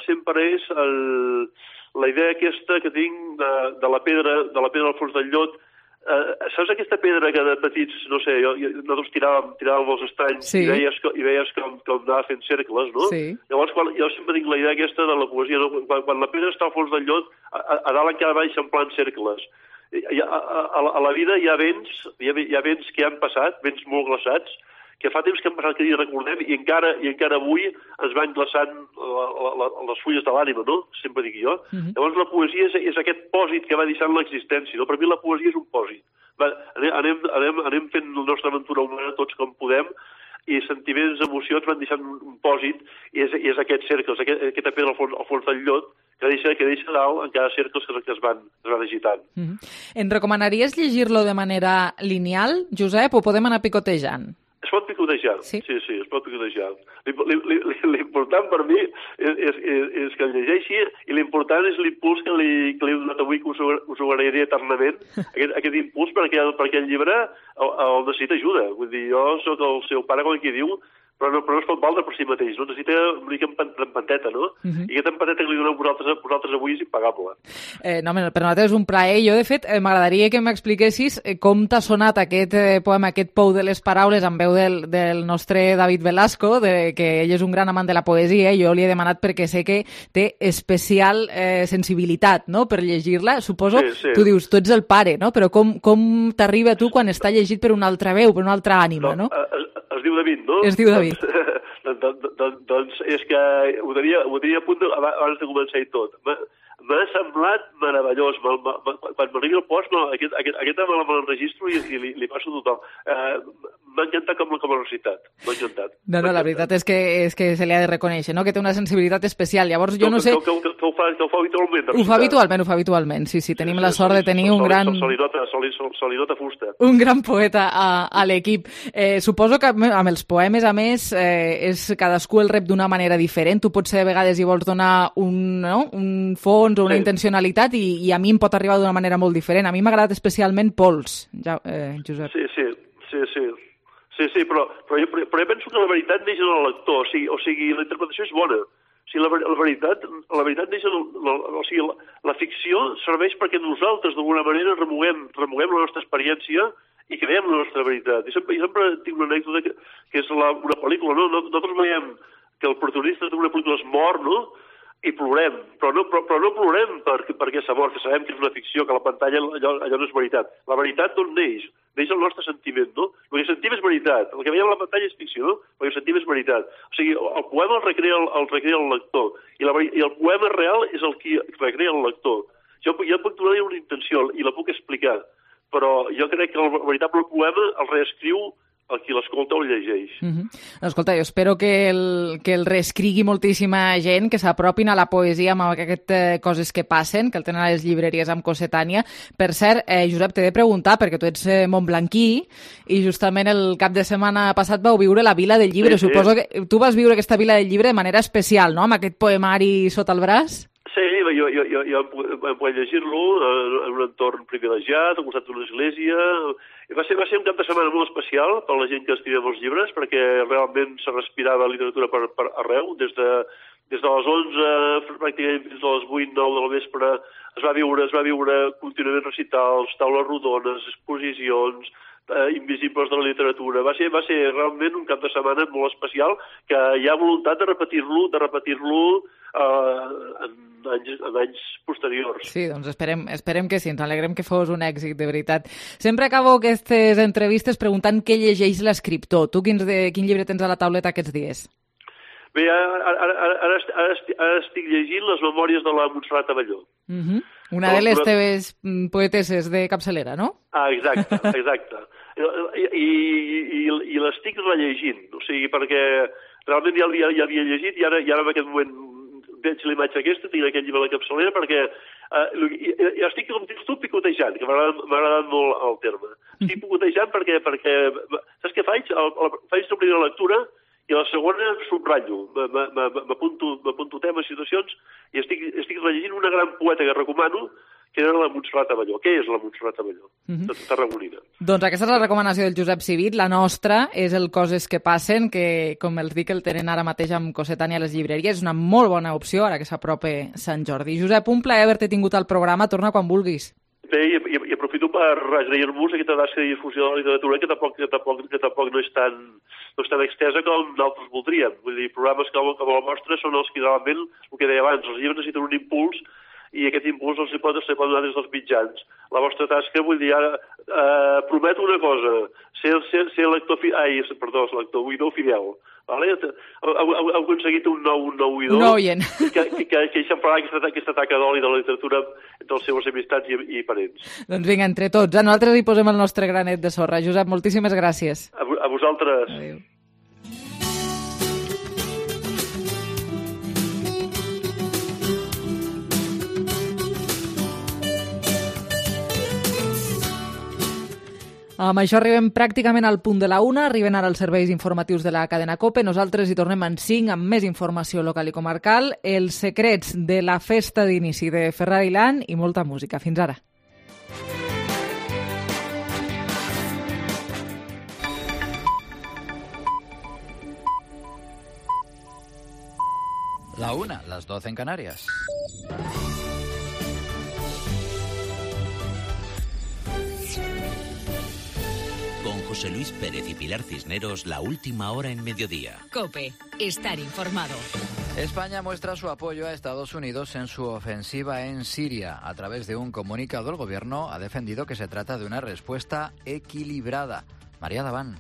sempre és la idea aquesta que tinc de la pedra al fons del llot, saps aquesta pedra que de petits, no sé, nosaltres tiràvem els estanys i veies com anava fent cercles, no? Sí. Llavors, jo sempre tinc la idea aquesta de la poesia, no? Quan la pedra està al fons del llot, a dalt encara va eixamplant cercles. A la vida hi ha vents que han passat, vents molt glaçats, que fa temps que han passat que hi recordem i encara avui ens van glaçant les fulles de l'ànima, no? Sempre dic jo. Llavors la poesia és aquest pòsit que va deixant l'existència, no? Per mi la poesia és un pòsit. Anem fent la nostra aventura humana tots com podem i sentiments, emocions van deixant un pòsit i és aquest cercle, aquesta pedra al fons del llot que deixa dalt encara cercles que es van agitant. Em recomanaries llegir-lo de manera lineal, Josep, o podem anar picotejant? Es pot picotejar, sí, es pot picotejar. L'important per mi és que el llegeixi i l'important és l'impuls que li he donat avui, que us ho agrairé eternament, aquest impuls perquè el llibre el necessita ajuda. Vull dir, jo sóc el seu pare, com qui diu, però no es pot valdre per si mateix, no? Necessita una mica empanteta, no? I aquesta empanteta que li doneu vosaltres avui és impagable. No, per nosaltres és un plaer. Jo, de fet, m'agradaria que m'expliquessis com t'ha sonat aquest poema, aquest pou de les paraules amb veu del nostre David Velasco, que ell és un gran amant de la poesia, i jo li he demanat perquè sé que té especial sensibilitat, no?, per llegir-la. Suposo, tu dius, tu ets el pare, no?, però com t'arriba a tu quan està llegit per una altra veu, per una altra ànima, no? Es diu David, no? Es diu David. Doncs és que ho tenia a punt abans de començar i tot. M'ha semblat meravellós. Quan m'arribi el post, aquesta me l'enregistro i li passo a tothom. M'ha encantat com a recitat. M'ha encantat. No, la veritat és que se li ha de reconèixer, no?, que té una sensibilitat especial. Llavors, jo no sé... Que ho fa habitualment. Ho fa habitualment, sí. Tenim la sort de tenir un gran... Se li nota fusta. Un gran poeta a l'equip. Suposo que amb els poemes, a més, és cadascú el rep d'una manera diferent. Tu potser a vegades hi vols donar un fons o una intencionalitat i a mi em pot arribar d'una manera molt diferent. A mi m'ha agradat especialment Pols, Josep. Sí, però jo penso que la veritat neix en el lector, o sigui, la interpretació és bona. O sigui, la veritat neix en o sigui, la ficció serveix perquè nosaltres d'alguna manera remoguem la nostra experiència i creem la nostra veritat. I sempre tinc una anècdota que és una pel·lícula, no? Nosaltres veiem que el protagonista d'una pel·lícula es mor, no?, i plorem, però no plorem perquè s'ha mort, que sabem que és una ficció, que a la pantalla allò no és veritat. La veritat d'on neix? Neix el nostre sentiment, no? El que sentim és veritat. El que veiem a la pantalla és ficció, no? El que sentim és veritat. O sigui, el poema el recrea el lector, i el poema real és el que recrea el lector. Jo puc donar una intenció i la puc explicar, però jo crec que el veritable poema el reescriu el qui l'escolta o el llegeix. Escolta, jo espero que el reescrigui moltíssima gent, que s'apropin a la poesia amb aquestes coses que passen, que el tenen a les llibreries amb Cossetània. Per cert, Josep, t'he de preguntar, perquè tu ets montblanquí i justament el cap de setmana passat vau viure la Vila del Llibre. Suposo que tu vas viure aquesta Vila del Llibre de manera especial, no?, amb aquest poemari sota el braç? Sí, jo em podia llegir-lo en un entorn privilegiat, al costat d'una església. Va ser un cap de setmana molt especial per la gent que estimem els llibres, perquè realment se respirava literatura per arreu. Des de les 11 pràcticament fins a les 8-9 de la vespre es va viure contínuament recitals, taules rodones, exposicions, invisibles de la literatura. Va ser realment un cap de setmana molt especial, que hi ha voluntat de repetir-lo en anys posteriors. Sí, doncs esperem que sí, ens alegrem que fos un èxit, de veritat. Sempre acabo aquestes entrevistes preguntant què llegeix l'escriptor. Tu quin llibre tens a la tauleta aquests dies? Bé, ara estic llegint les memòries de la Montserrat Abelló. Una de les teves poeteses de capçalera, no? Exacte. I l'estic rellegint, o sigui, perquè realment ja havia llegit i ara en aquest moment veig l'imatge aquesta, tinc aquest llibre a la capçalera, perquè estic, com dius tu, picotejant, que m'ha agradat molt el terme. Estic picotejant perquè saps què faig? Faig la primera lectura i a la segona subratllo, m'apunto temes, situacions, i estic rellegint una gran poeta que recomano, que era la Montserrat Abelló. Què és la Montserrat Abelló? Tarragonina. Doncs aquesta és la recomanació del Josep Civit. La nostra és el Coses que passen, que, com els dic, el tenen ara mateix amb Cossetània a les llibreries. És una molt bona opció ara que s'apropa Sant Jordi. Josep, un plaer haver-te tingut al programa. Torna quan vulguis. bé, i aprofito per agrair-vos aquesta tasca de difusió de la literatura que tampoc no és tan extensa com d'altres voldríem. Vull dir, programes com el vostre són els que realment, el que deia abans, els llibres necessiten un impuls i aquest impuls els pot donar des dels mitjans. La vostra tasca, vull dir, ara prometo una cosa, ser lector oïdor fidel. Vale? Heu aconseguit un nou oïdor que eixamplarà aquesta taca d'oli de la literatura entre les seves amistats i parents. Doncs vinga, entre tots, a nosaltres hi posem el nostre granet de sorra. Josep, moltíssimes gràcies. A vosaltres. Adéu. Amb això arribem pràcticament al punt de la 1, arriben ara els serveis informatius de la cadena COPE. Nosaltres hi tornem en 5 amb més informació local i comarcal, els secrets de la festa d'inici de Ferrari Land i molta música. Fins ara. La 1, las 12 en Canarias. Con José Luis Pérez y Pilar Cisneros, la última hora en mediodía. COPE, estar informado. España muestra su apoyo a Estados Unidos en su ofensiva en Siria. A través de un comunicado, el gobierno ha defendido que se trata de una respuesta equilibrada. María Daván.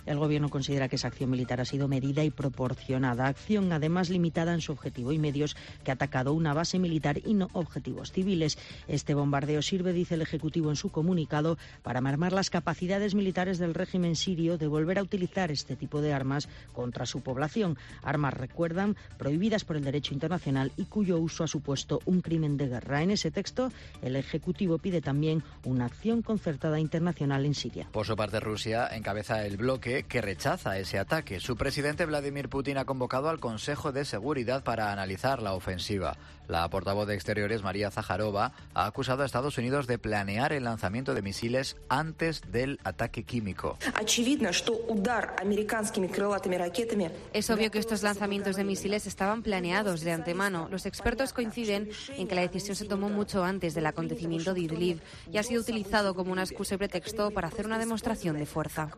El Gobierno considera que esa acción militar ha sido medida y proporcionada. Acción, además, limitada en su objetivo y medios, que ha atacado una base militar y no objetivos civiles. Este bombardeo sirve, dice el Ejecutivo en su comunicado, para mermar las capacidades militares del régimen sirio de volver a utilizar este tipo de armas contra su población. Armas, recuerdan, prohibidas por el derecho internacional y cuyo uso ha supuesto un crimen de guerra. En ese texto, el Ejecutivo pide también una acción concertada internacional en Siria. Por su parte, Rusia encabeza el bloque que rechaza ese ataque. Su presidente Vladimir Putin ha convocado al Consejo de Seguridad para analizar la ofensiva. La portavoz de Exteriores, María Zaharova, ha acusado a Estados Unidos de planear el lanzamiento de misiles antes del ataque químico. Es obvio que estos lanzamientos de misiles estaban planeados de antemano. Los expertos coinciden en que la decisión se tomó mucho antes del acontecimiento de Idlib y ha sido utilizado como una excusa y pretexto para hacer una demostración de fuerza.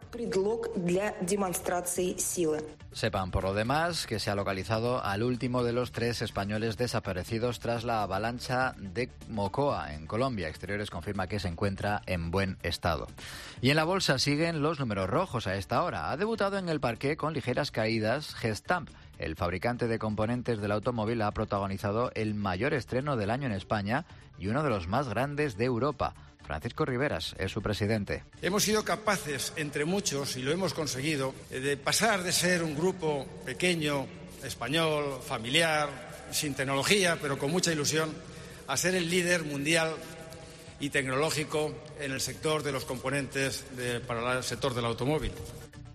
Sepan, por lo demás, que se ha localizado al último de los 3 españoles desaparecidos tras la avalancha de Mocoa, en Colombia. Exteriores confirma que se encuentra en buen estado. Y en la bolsa siguen los números rojos a esta hora. Ha debutado en el parqué con ligeras caídas Gestamp. El fabricante de componentes del automóvil ha protagonizado el mayor estreno del año en España y uno de los más grandes de Europa. Francisco Riveras es su presidente. Hemos sido capaces, entre muchos, y lo hemos conseguido, de pasar de ser un grupo pequeño, español, familiar, sin tecnología, pero con mucha ilusión, a ser el líder mundial y tecnológico en el sector de los componentes para el sector del automóvil.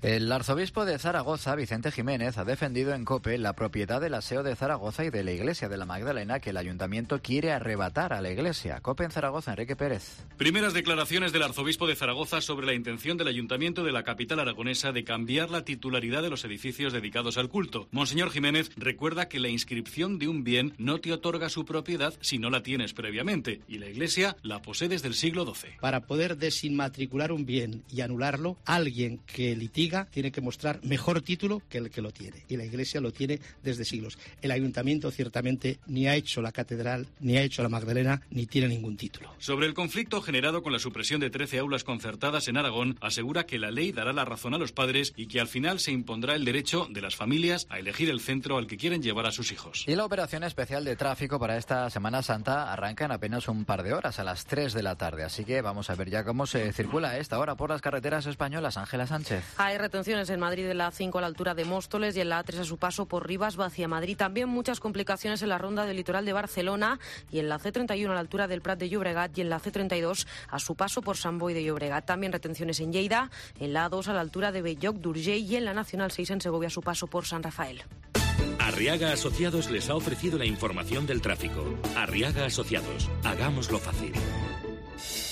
El arzobispo de Zaragoza, Vicente Jiménez, ha defendido en COPE la propiedad del Aseo de Zaragoza y de la Iglesia de la Magdalena que el ayuntamiento quiere arrebatar a la Iglesia. COPE en Zaragoza, Enrique Pérez. Primeras declaraciones del arzobispo de Zaragoza sobre la intención del ayuntamiento de la capital aragonesa de cambiar la titularidad de los edificios dedicados al culto. Monseñor Jiménez recuerda que la inscripción de un bien no te otorga su propiedad si no la tienes previamente, y la Iglesia la posee desde el siglo XII. Para poder desinmatricular un bien y anularlo, alguien que litiga tiene que mostrar mejor título que el que lo tiene. Y la Iglesia lo tiene desde siglos. El Ayuntamiento ciertamente ni ha hecho la Catedral, ni ha hecho la Magdalena, ni tiene ningún título. Sobre el conflicto generado con la supresión de 13 aulas concertadas en Aragón, asegura que la ley dará la razón a los padres y que al final se impondrá el derecho de las familias a elegir el centro al que quieren llevar a sus hijos. Y la operación especial de tráfico para esta Semana Santa arranca en apenas un par de horas, a las 3 de la tarde. Así que vamos a ver ya cómo se circula a esta hora por las carreteras españolas. Ángela Sánchez. Hay retenciones en Madrid en la A5 a la altura de Móstoles y en la A3 a su paso por Rivas hacia Madrid. También muchas complicaciones en la ronda del litoral de Barcelona y en la C31 a la altura del Prat de Llobregat y en la C32 a su paso por Sant Boi de Llobregat. También retenciones en Lleida, en la A2 a la altura de Belloc d'Urgell y en la Nacional 6 en Segovia a su paso por San Rafael. Arriaga Asociados les ha ofrecido la información del tráfico. Arriaga Asociados, hagámoslo fácil.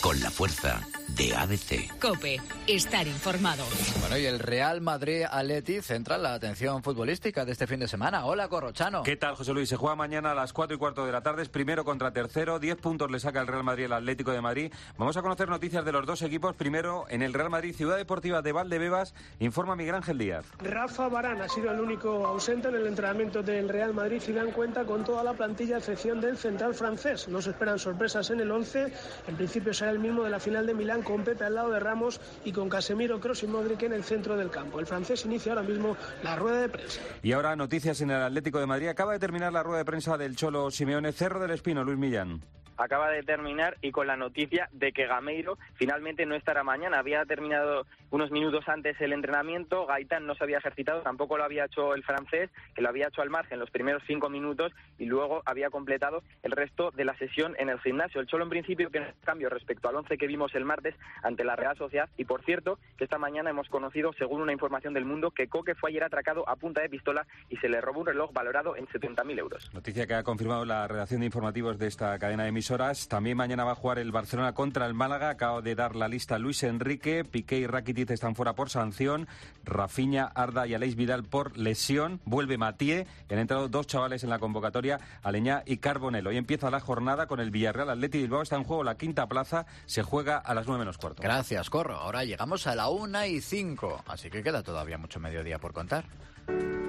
Con la fuerza de ABC. COPE. Estar informado. Bueno, y el Real Madrid-Atleti centra la atención futbolística de este fin de semana. Hola, Corrochano. ¿Qué tal, José Luis? Se juega mañana a las 4:15 de la tarde. Es primero contra tercero. 10 puntos le saca el Real Madrid al Atlético de Madrid. Vamos a conocer noticias de los dos equipos. Primero, en el Real Madrid, Ciudad Deportiva de Valdebebas, informa Miguel Ángel Díaz. Rafa Varane ha sido el único ausente en el entrenamiento del Real Madrid. Zidane cuenta con toda la plantilla a excepción del central francés. No se esperan sorpresas en el 11. En principio será el mismo de la final de Milán, con Pepe al lado de Ramos y con Casemiro, Kroos y Modric en el centro del campo. El francés inicia ahora mismo la rueda de prensa. Y ahora noticias en el Atlético de Madrid. Acaba de terminar la rueda de prensa del Cholo Simeone. Cerro del Espino, Luis Millán. Acaba de terminar y con la noticia de que Gameiro finalmente no estará mañana. Había terminado unos minutos antes el entrenamiento, Gaitán no se había ejercitado, tampoco lo había hecho el francés, que lo había hecho al margen los primeros 5 minutos y luego había completado el resto de la sesión en el gimnasio. El Cholo en principio que no es cambio respecto al 11 que vimos el martes ante la Real Sociedad, y por cierto que esta mañana hemos conocido, según una información del Mundo, que Coque fue ayer atracado a punta de pistola y se le robó un reloj valorado en 70.000 euros. Noticia que ha confirmado la redacción de informativos de esta cadena de emisoras. También mañana va a jugar el Barcelona contra el Málaga. Acabo de dar la lista Luis Enrique, Piqué y Rakitic están fuera por sanción, Rafinha, Arda y Aleix Vidal por lesión. Vuelve Mathieu, han entrado 2 chavales en la convocatoria, Aleñá y Carbonell. Hoy empieza la jornada con el Villarreal Athletic Bilbao. Está en juego la 5ª plaza, se juega a las 9:15. Gracias, Corro. Ahora llegamos a la 1:05, así que queda todavía mucho mediodía por contar.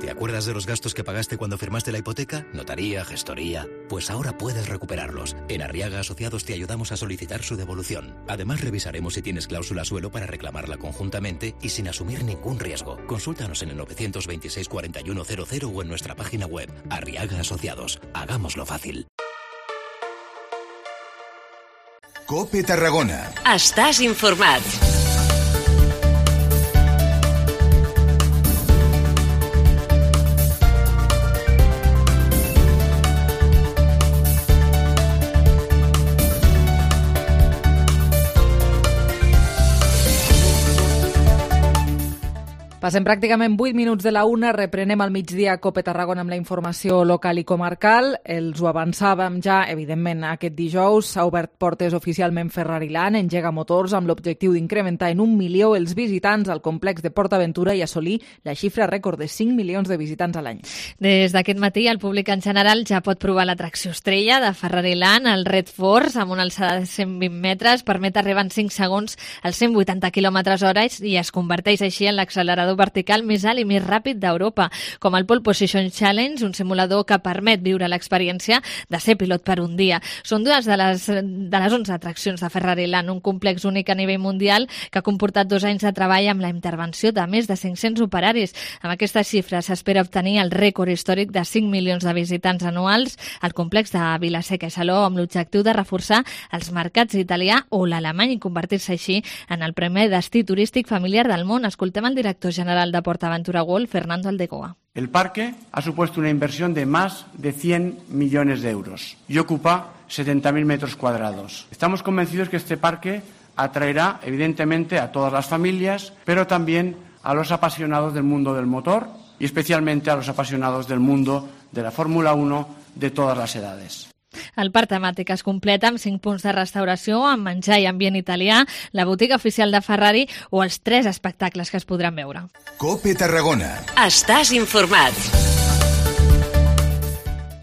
¿Te acuerdas de los gastos que pagaste cuando firmaste la hipoteca? Notaría, gestoría. Pues ahora puedes recuperarlos. En Arriaga Asociados te ayudamos a solicitar su devolución. Además, revisaremos si tienes cláusula suelo para reclamarla conjuntamente y sin asumir ningún riesgo. Consúltanos en el 926 4100 o en nuestra página web. Arriaga Asociados. Hagámoslo fácil. COPE Tarragona. Estàs informat. Passem pràcticament 8 minuts de la 1, reprenem al migdia COPE Tarragona amb la informació local i comarcal. Els ho avançàvem ja, evidentment, aquest dijous. S'ha obert portes oficialment Ferrari-Land, engega motors amb l'objectiu d'incrementar en 1 milió els visitants al complex de PortAventura i assolir la xifra rècord de 5 milions de visitants a l'any. Des d'aquest matí, el públic en general ja pot provar l'atracció estrella de Ferrari-Land, el Red Force, amb una alçada de 120 metres, permet arribar en 5 segons als 180 km/h i es converteix així en l'accelerador vertical més alt i més ràpid d'Europa, com el Pole Position Challenge, un simulador que permet viure l'experiència de ser pilot per un dia. Són dues de les 11 atraccions de Ferrari-Land, un complex únic a nivell mundial que ha comportat 2 anys de treball amb la intervenció de més de 500 operaris. Amb aquesta xifra s'espera obtenir el rècord històric de 5 milions de visitants anuals al complex de Vila-seca i Salou, amb l'objectiu de reforçar els mercats italià o l'alemany i convertir-se així en el primer destí turístic familiar del món. Escoltem el director general de PortAventura World, Fernando Aldecoa. El parque ha supuesto una inversión de más de 100 millones de euros y ocupa 70.000 metros cuadrados. Estamos convencidos que este parque atraerá, evidentemente, a todas las familias, pero también a los apasionados del mundo del motor y especialmente a los apasionados del mundo de la Fórmula 1 de todas las edades. El parc temàtic es completa amb 5 punts de restauració, amb menjar i ambient italià, la botiga oficial de Ferrari o els 3 espectacles que es podran veure. COPE Tarragona. Estàs informat.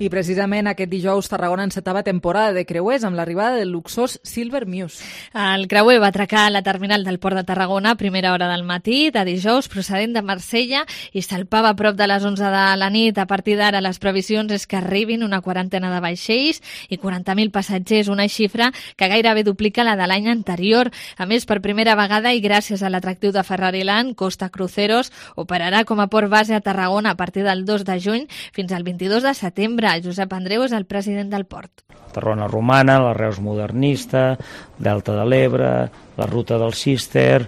I precisament aquest dijous Tarragona encetava temporada de creuers amb l'arribada del luxós Silver Muse. El creuer va atracar a la terminal del Port de Tarragona a primera hora del matí de dijous procedent de Marsella i salpava a prop de les 11 de la nit. A partir d'ara les previsions és que arribin una quarantena de vaixells i 40.000 passatgers, una xifra que gairebé duplica la de l'any anterior. A més, per primera vegada i gràcies a l'atractiu de Ferrari-Land, Costa Cruceros operarà com a port base a Tarragona a partir del 2 de juny fins al 22 de setembre. Josep Andreu és el president del port. Tarragona romana, la Reus modernista, Delta de l'Ebre, la ruta del Cister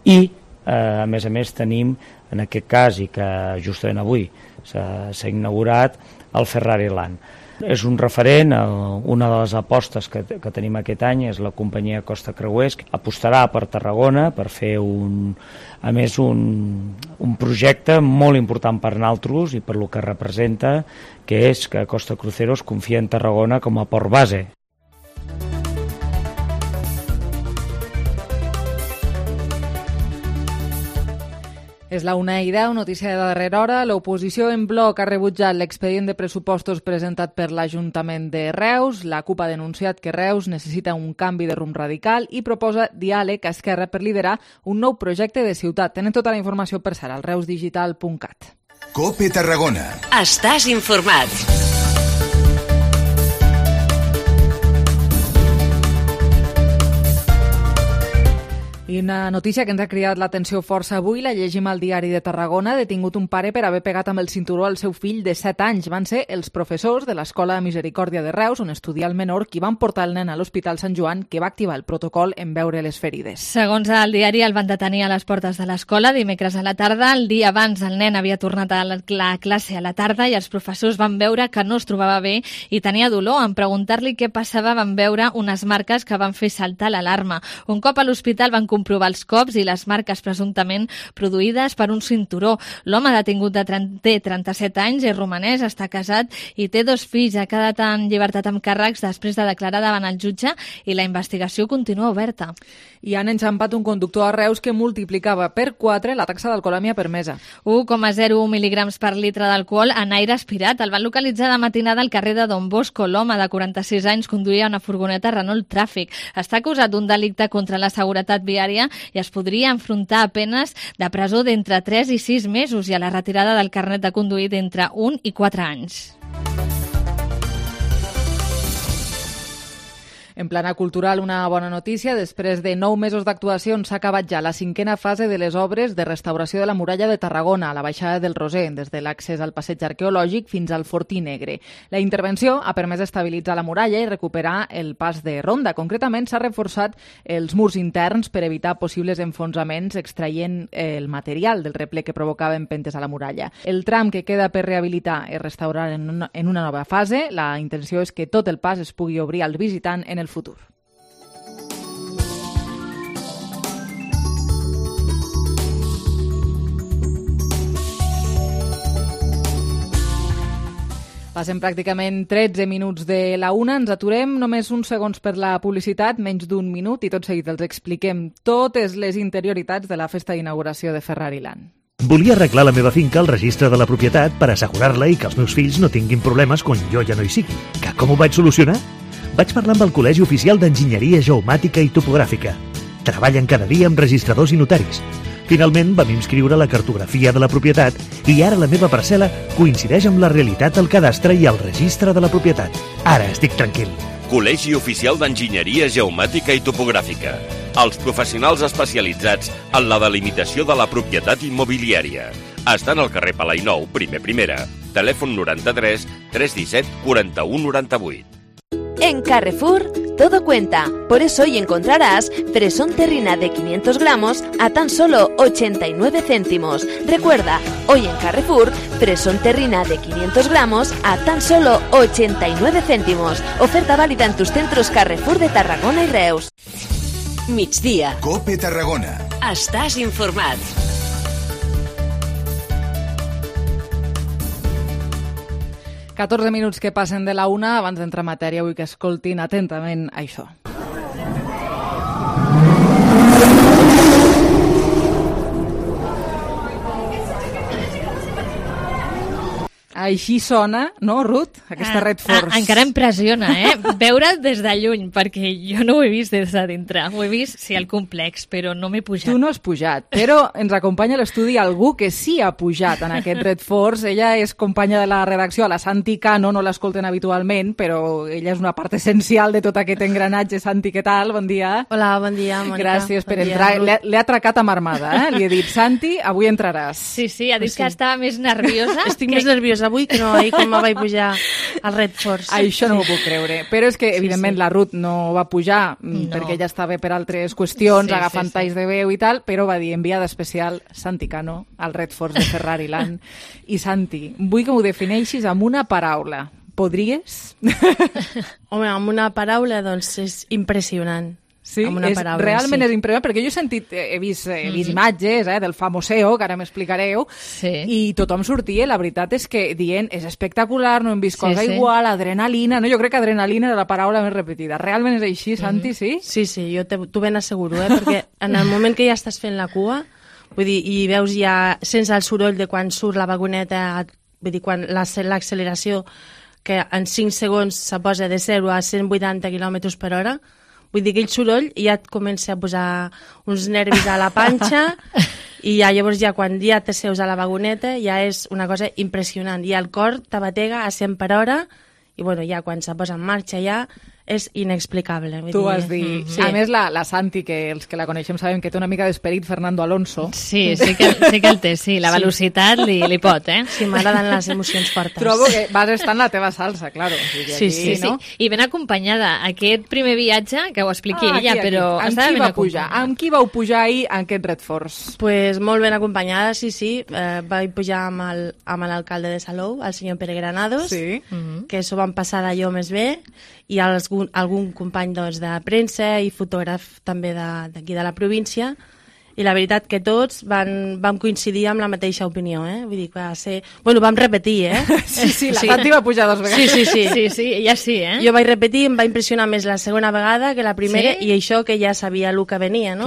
i, a més tenim, en aquest cas, i que justament avui s'ha inaugurat, el Ferrari-Land. És un referent, una de les apostes que tenim aquest any és la companyia Costa Creuers, que apostarà per Tarragona per fer un projecte molt important per nosaltres i per lo que representa, que és que Costa Cruceros confia en Tarragona com a port base. És la 1:10, notícia de darrera hora. L'oposició en bloc ha rebutjat l'expedient de pressupostos presentat per l'Ajuntament de Reus. La CUP ha denunciat que Reus necessita un canvi de rumb radical i proposa diàleg a Esquerra per liderar un nou projecte de ciutat. Tenen tota la informació per ser al reusdigital.cat. COPE Tarragona. Estàs informat. I una notícia que ens ha cridat l'atenció força avui, la llegim al diari de Tarragona. Detingut un pare per haver pegat amb el cinturó al seu fill de 7 anys. Van ser els professors de l'Escola de Misericòrdia de Reus, on estudia el menor, qui van portar el nen a l'Hospital Sant Joan, que va activar el protocol en veure les ferides. Segons el diari, el van detenir a les portes de l'escola dimecres a la tarda. El dia abans el nen havia tornat a la classe a la tarda i els professors van veure que no es trobava bé i tenia dolor. En preguntar-li què passava van veure unes marques que van fer saltar l'alarma. Un cop a l'hospital van comprovar els cops i les marques presumptament produïdes per un cinturó. L'home detingut té 37 anys, és romanès, està casat i té 2 fills. Ha quedat en llibertat amb càrrecs després de declarar davant el jutge i la investigació continua oberta. I han enxampat un conductor a Reus que multiplicava per 4 la taxa d'alcoholèmia permesa. 1,01 mil·lígrams per litre d'alcohol en aire aspirat. El van localitzar de matinada al carrer de Don Bosco. L'home de 46 anys conduïa una furgoneta Renault Tràfic. Està acusat d'un delicte contra la seguretat viària i es podria enfrontar a penes de presó d'entre 3 i 6 mesos i a la retirada del carnet de conduir d'entre 1 i 4 anys. En plana cultural, una bona notícia. Després de 9 mesos d'actuacions s'ha acabat ja la 5a fase de les obres de restauració de la muralla de Tarragona, a la baixada del Roser, des de l'accés al passeig arqueològic fins al Fortí Negre. La intervenció ha permès estabilitzar la muralla i recuperar el pas de ronda. Concretament, s'ha reforçat els murs interns per evitar possibles enfonsaments extraient el material del reple que provocava empentes a la muralla. El tram que queda per rehabilitar i restaurar en una nova fase. La intenció és que tot el pas es pugui obrir al visitant en el futur. Passen pràcticament 13 minuts de la 1. Ens aturem només uns segons per la publicitat, menys d'un minut, i tot seguit els expliquem totes les interioritats de la festa d'inauguració de Ferrari Land. Volia arreglar la meva finca al registre de la propietat per assegurar-la i que els meus fills no tinguin problemes quan jo ja no hi sigui. Que com ho vaig solucionar? Vaig parlar amb el Col·legi Oficial d'Enginyeria Geomàtica i Topogràfica. Treballen cada dia amb registradors i notaris. Finalment vam inscriure la cartografia de la propietat i ara la meva parcel·la coincideix amb la realitat del cadastre i el registre de la propietat. Ara estic tranquil. Col·legi Oficial d'Enginyeria Geomàtica i Topogràfica. Els professionals especialitzats en la delimitació de la propietat immobiliària. Estan al carrer Palai Nou, primera. Telèfon 93 317 41 98. En Carrefour, todo cuenta. Por eso hoy encontrarás fresón terrina de 500 gramos a tan solo 89 céntimos. Recuerda, hoy en Carrefour, fresón terrina de 500 gramos a tan solo 89 céntimos. Oferta válida en tus centros Carrefour de Tarragona y Reus. Migdia. COPE Tarragona. Estàs informat. «14 minuts que passen de la 1, abans d'entrar en matèria, vull que escoltin atentament això. Així sona, no, Ruth? Aquesta Red Force. Encara em pressiona, Veure'l des de lluny, perquè jo no ho he vist des de dintre. Ho he vist, sí, al complex, però no m'he pujat. Tu no has pujat, però ens acompanya a l'estudi algú que sí ha pujat en aquest Red Force. Ella és companya de la redacció, a la Santi Cano, no l'escolten habitualment, però ella és una part essencial de tot aquest engranatge. Santi, què tal? Bon dia. Hola, bon dia, Mònica. Gràcies per entrar. L'he atracat amb armada, Li he dit, Santi, avui entraràs. Sí, ha dit que estava més nerviosa. Estic més nerviosa avui que no ahir quan me vaig pujar al Red Force. Això no m'ho puc creure. Però és que, evidentment, la Ruth no va pujar perquè ella estava per altres qüestions, agafant talls de veu i tal, però va dir enviada especial Santi Cano al Red Force de Ferrari Land. I Santi, vull que m'ho defineixis amb una paraula. Podries? Home, amb una paraula, doncs, és impressionant. Sí, realment és impressionant, perquè jo he vist imatges del famoseo, que ara m'explicareu, i tothom sortia, la veritat és que dient, és espectacular, no hem vist cosa igual, adrenalina, no? Jo crec que adrenalina era la paraula més repetida. Realment és així, Santi, sí? Sí, jo t'ho ben asseguro, perquè en el moment que ja estàs fent la cua, Vull dir, i veus ja, sense el soroll de quan surt la vagoneta, vull dir, quan l'acceleració, que en 5 segons se posa de 0 a 180 km per hora, vull dir, aquell soroll ja et comença a posar uns nervis a la panxa i ja llavors ja quan ja t'asseus a la vagoneta ja és una cosa impressionant. I el cor te batega a 100 per hora i bueno, ja quan se posa en marxa ja és inexplicable. Tu vas dir. Sí. A més, la Santi, que els que la coneixem sabem que té una mica d'esperit Fernando Alonso. Sí que el té, sí. La velocitat li pot, eh? Sí, m'agraden les emocions fortes. Trobo que vas estar en la teva salsa, claro. Sí. No? I ben acompanyada. Aquest primer viatge, que ho expliqui ella, però... Amb qui vau pujar ahir en aquest Red Force? Pues molt ben acompanyada, sí. Vaig pujar amb l'alcalde de Salou, el senyor Pere Granados, que s'ho van passar d'allò més bé, i algun company doncs, de premsa i fotògraf també d'aquí de la província, i la veritat que tots vam coincidir amb la mateixa opinió, Vull dir que va ser... Bueno, vam repetir, Sí, la Santi va pujar 2 vegades. Sí, ja sí, Jo vaig repetir, em va impressionar més la segona vegada que la primera, i això que ja sabia el que venia, no?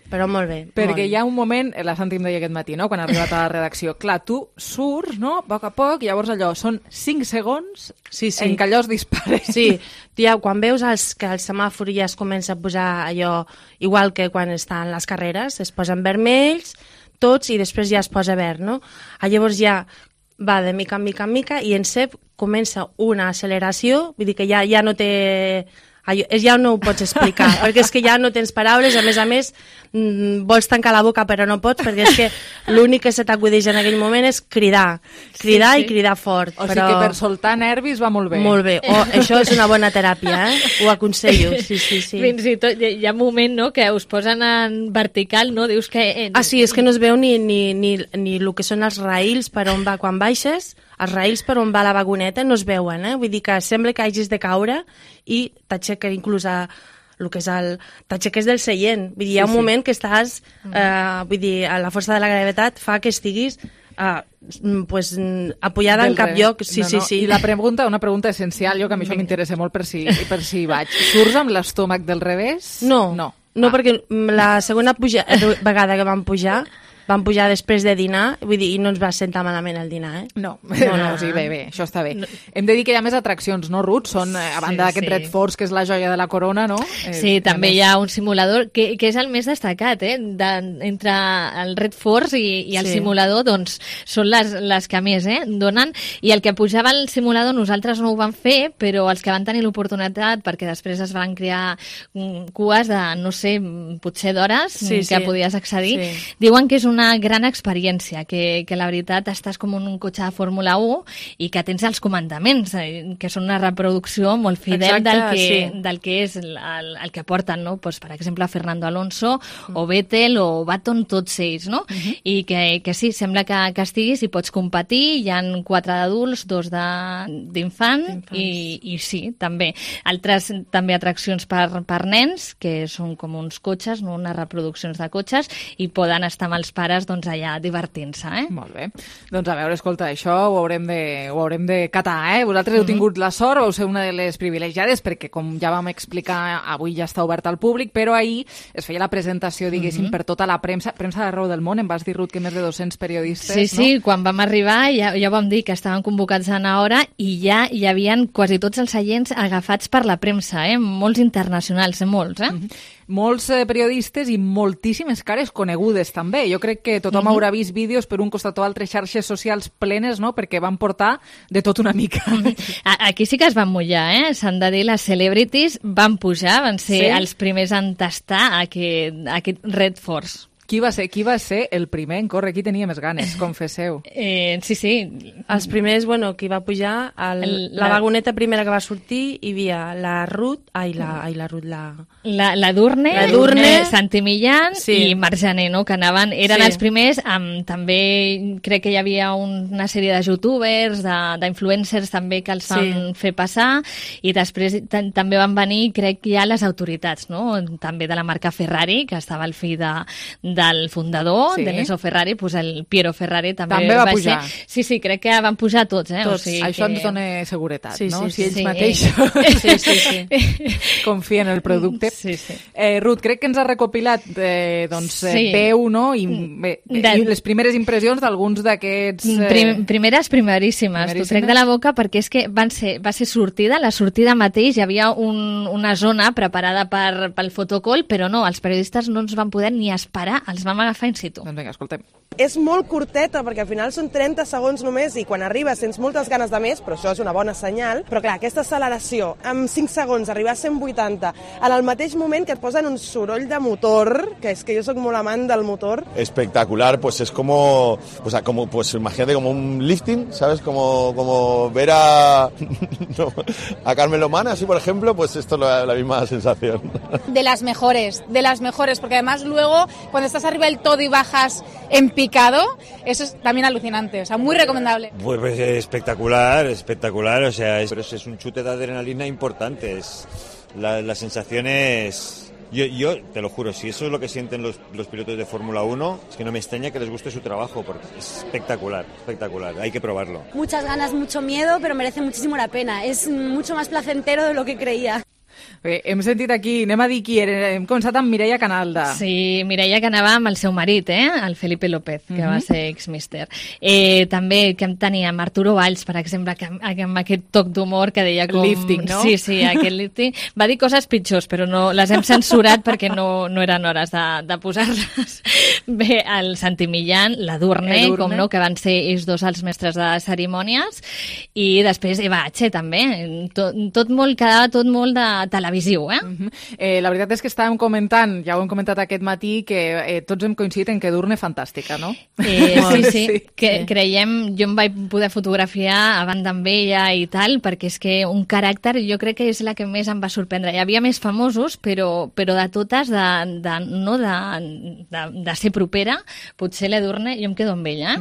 Però molt bé. Perquè hi ha un moment, la Santi em deia aquest matí, no? Quan ha arribat a la redacció, clar, tu surts, no? A poc, llavors allò, són 5 segons en què allò es dispara. Sí, ja, quan veus que el semàfor ja es comença a posar allò, igual que quan estan les carreres, es posen vermells, tots, i després ja es posa verd, no? Llavors ja va de mica en mica, i en cep comença una acceleració, vull dir que ja no té... Ja no ho pots explicar, perquè és que ja no tens paraules, a més, vols tancar la boca però no pots, perquè és que l'únic que se t'acudeix en aquell moment és cridar i cridar fort. O sigui que per soltar nervis va molt bé. Molt bé, això és una bona teràpia, ho aconsello, sí. Fins i tot hi ha un moment, no?, que us posen en vertical, no?, dius que... Sí, és que no es veu ni el que són els raïls per on va quan baixes, els raïls per on va la vagoneta no es veuen, vull dir que sembla que hagis de caure i t'aixeca inclús el que és t'aixeques del seient. Vull dir, hi ha un moment que estàs, vull dir, la força de la gravetat fa que estiguis apoyada en cap lloc. Sí. I una pregunta essencial, jo que a mi això m'interessa molt per si vaig. Surts amb l'estómac del revés? No, perquè la segona vegada que vam pujar després de dinar, vull dir, i no ens va sentar malament el dinar, No, sí, bé, això està bé. Hem de dir que hi ha més atraccions, no, Ruth? Són, a banda d'aquest Red Force, que és la joia de la corona, no? Sí, també hi ha un simulador, que és el més destacat, entre el Red Force i el simulador, doncs, són les que més donen, i el que pujava al simulador nosaltres no ho vam fer, però els que van tenir l'oportunitat, perquè després es van crear cues de, no sé, potser d'hores que podies accedir, diuen que és una gran experiència, que la veritat estàs com en un cotxe de Fórmula 1 i que tens els comandaments, que són una reproducció molt fidel del que és el que porten, no? Pues, per exemple, Fernando Alonso o Vettel o Baton, tots ells, no? I que sí, sembla que estiguis i pots competir, hi ha 4 d'adults, 2 d'infant i sí, també. Altres també atraccions per nens, que són com uns cotxes, no? Unes reproduccions de cotxes, i poden estar amb els pares doncs allà divertint-se, Molt bé. Doncs a veure, escolta, això ho haurem de catar, Vosaltres heu tingut la sort, vau ser una de les privilegiades, perquè com ja vam explicar, avui ja està obert al públic, però ahir es feia la presentació, diguéssim, per tota la premsa d'arreu del món. Em vas dir, Ruth, que més de 200 periodistes, Sí, quan vam arribar ja vam dir que estaven convocats a una hora i ja hi havien quasi tots els seients agafats per la premsa, molts internacionals, molts, Molts periodistes i moltíssimes cares conegudes, també. Jo crec que tothom haurà vist vídeos per un costat o altre, xarxes socials plenes, no?, perquè van portar de tot una mica. Aquí sí que es van mullar, S'han de dir, les celebrities van pujar, van ser els primers en tastar aquest Red Force. Qui va ser el primer en córrer? Qui tenia més ganes? Confesseu. Sí. Els primers, qui va pujar, la vagoneta primera que va sortir, hi havia la Ruth, la Durne, Santi Millán i Marc Jané, no?, que eren els primers, també crec que hi havia una sèrie de youtubers, d'influencers també que els van fer passar, i després també van venir, crec, ja les autoritats, no?, també de la marca Ferrari, que estava al fill de del fundador, Sí. d'Enzo Ferrari, doncs el Piero Ferrari també va va pujar. Sí, crec que van pujar tots. Tots. O sigui Això que... ens dona seguretat, Sí, no? sí, Si ells sí. mateixos confien en el producte. Sí. Ruth, crec que ens ha recopilat Sí. 10, no? I les primeres impressions d'alguns d'aquests... Primeríssimes. T'ho trec de la boca perquè és que va ser sortida, la sortida mateix, hi havia una zona preparada pel fotocall, però no, els periodistes no ens van poder ni esperar, els vam agafar in situ. Doncs vinga, escoltem. És molt curteta perquè al final són 30 segons només i quan arribes sents moltes ganes de més, però això és una bona senyal. Però clar, aquesta acceleració, amb 5 segons, arribar a 180, en el mateix moment que et posen un soroll de motor, que és que jo sóc molt amant del motor. Espectacular, pues es como, pues imagínate como un lifting, ¿sabes? Como ver a Carmen Lomana, así por ejemplo, pues esto es la misma sensación. De las mejores, porque además luego cuando estás arriba del todo y bajas en picado, eso es también alucinante, o sea, muy recomendable. Pues espectacular, o sea, pero es un chute de adrenalina importante, la sensación es... Yo te lo juro, si eso es lo que sienten los pilotos de Fórmula 1, es que no me extraña que les guste su trabajo, porque es espectacular, hay que probarlo. Muchas ganas, mucho miedo, pero merece muchísimo la pena, es mucho más placentero de lo que creía. Bé, hem sentit aquí, anem a dir qui era, hem començat amb Mireia Canalda. Sí, Mireia que anava amb el seu marit, el Felipe López, que va ser ex-mister. També que teníem Arturo Valls, per exemple, que amb aquest toc d'humor que deia com... Lifting, no? Sí, aquest lifting. Va dir coses pitjors, però no les hem censurat perquè no eren hores de posar-les. Bé, el Santi Millán, la Durne, com no, que van ser ells dos els mestres de cerimònies, i després Eva H, també. Quedava tot molt de televisiu, La veritat és que estàvem comentant, ja ho hem comentat aquest matí, que tots hem coincidit en que Durne fantàstica, no? Sí. Creiem, jo em vaig poder fotografiar abans amb ella i tal, perquè és que un caràcter jo crec que és la que més em va sorprendre. Hi havia més famosos, però de totes, de ser propera, potser l'Edurne, jo em quedo amb ella.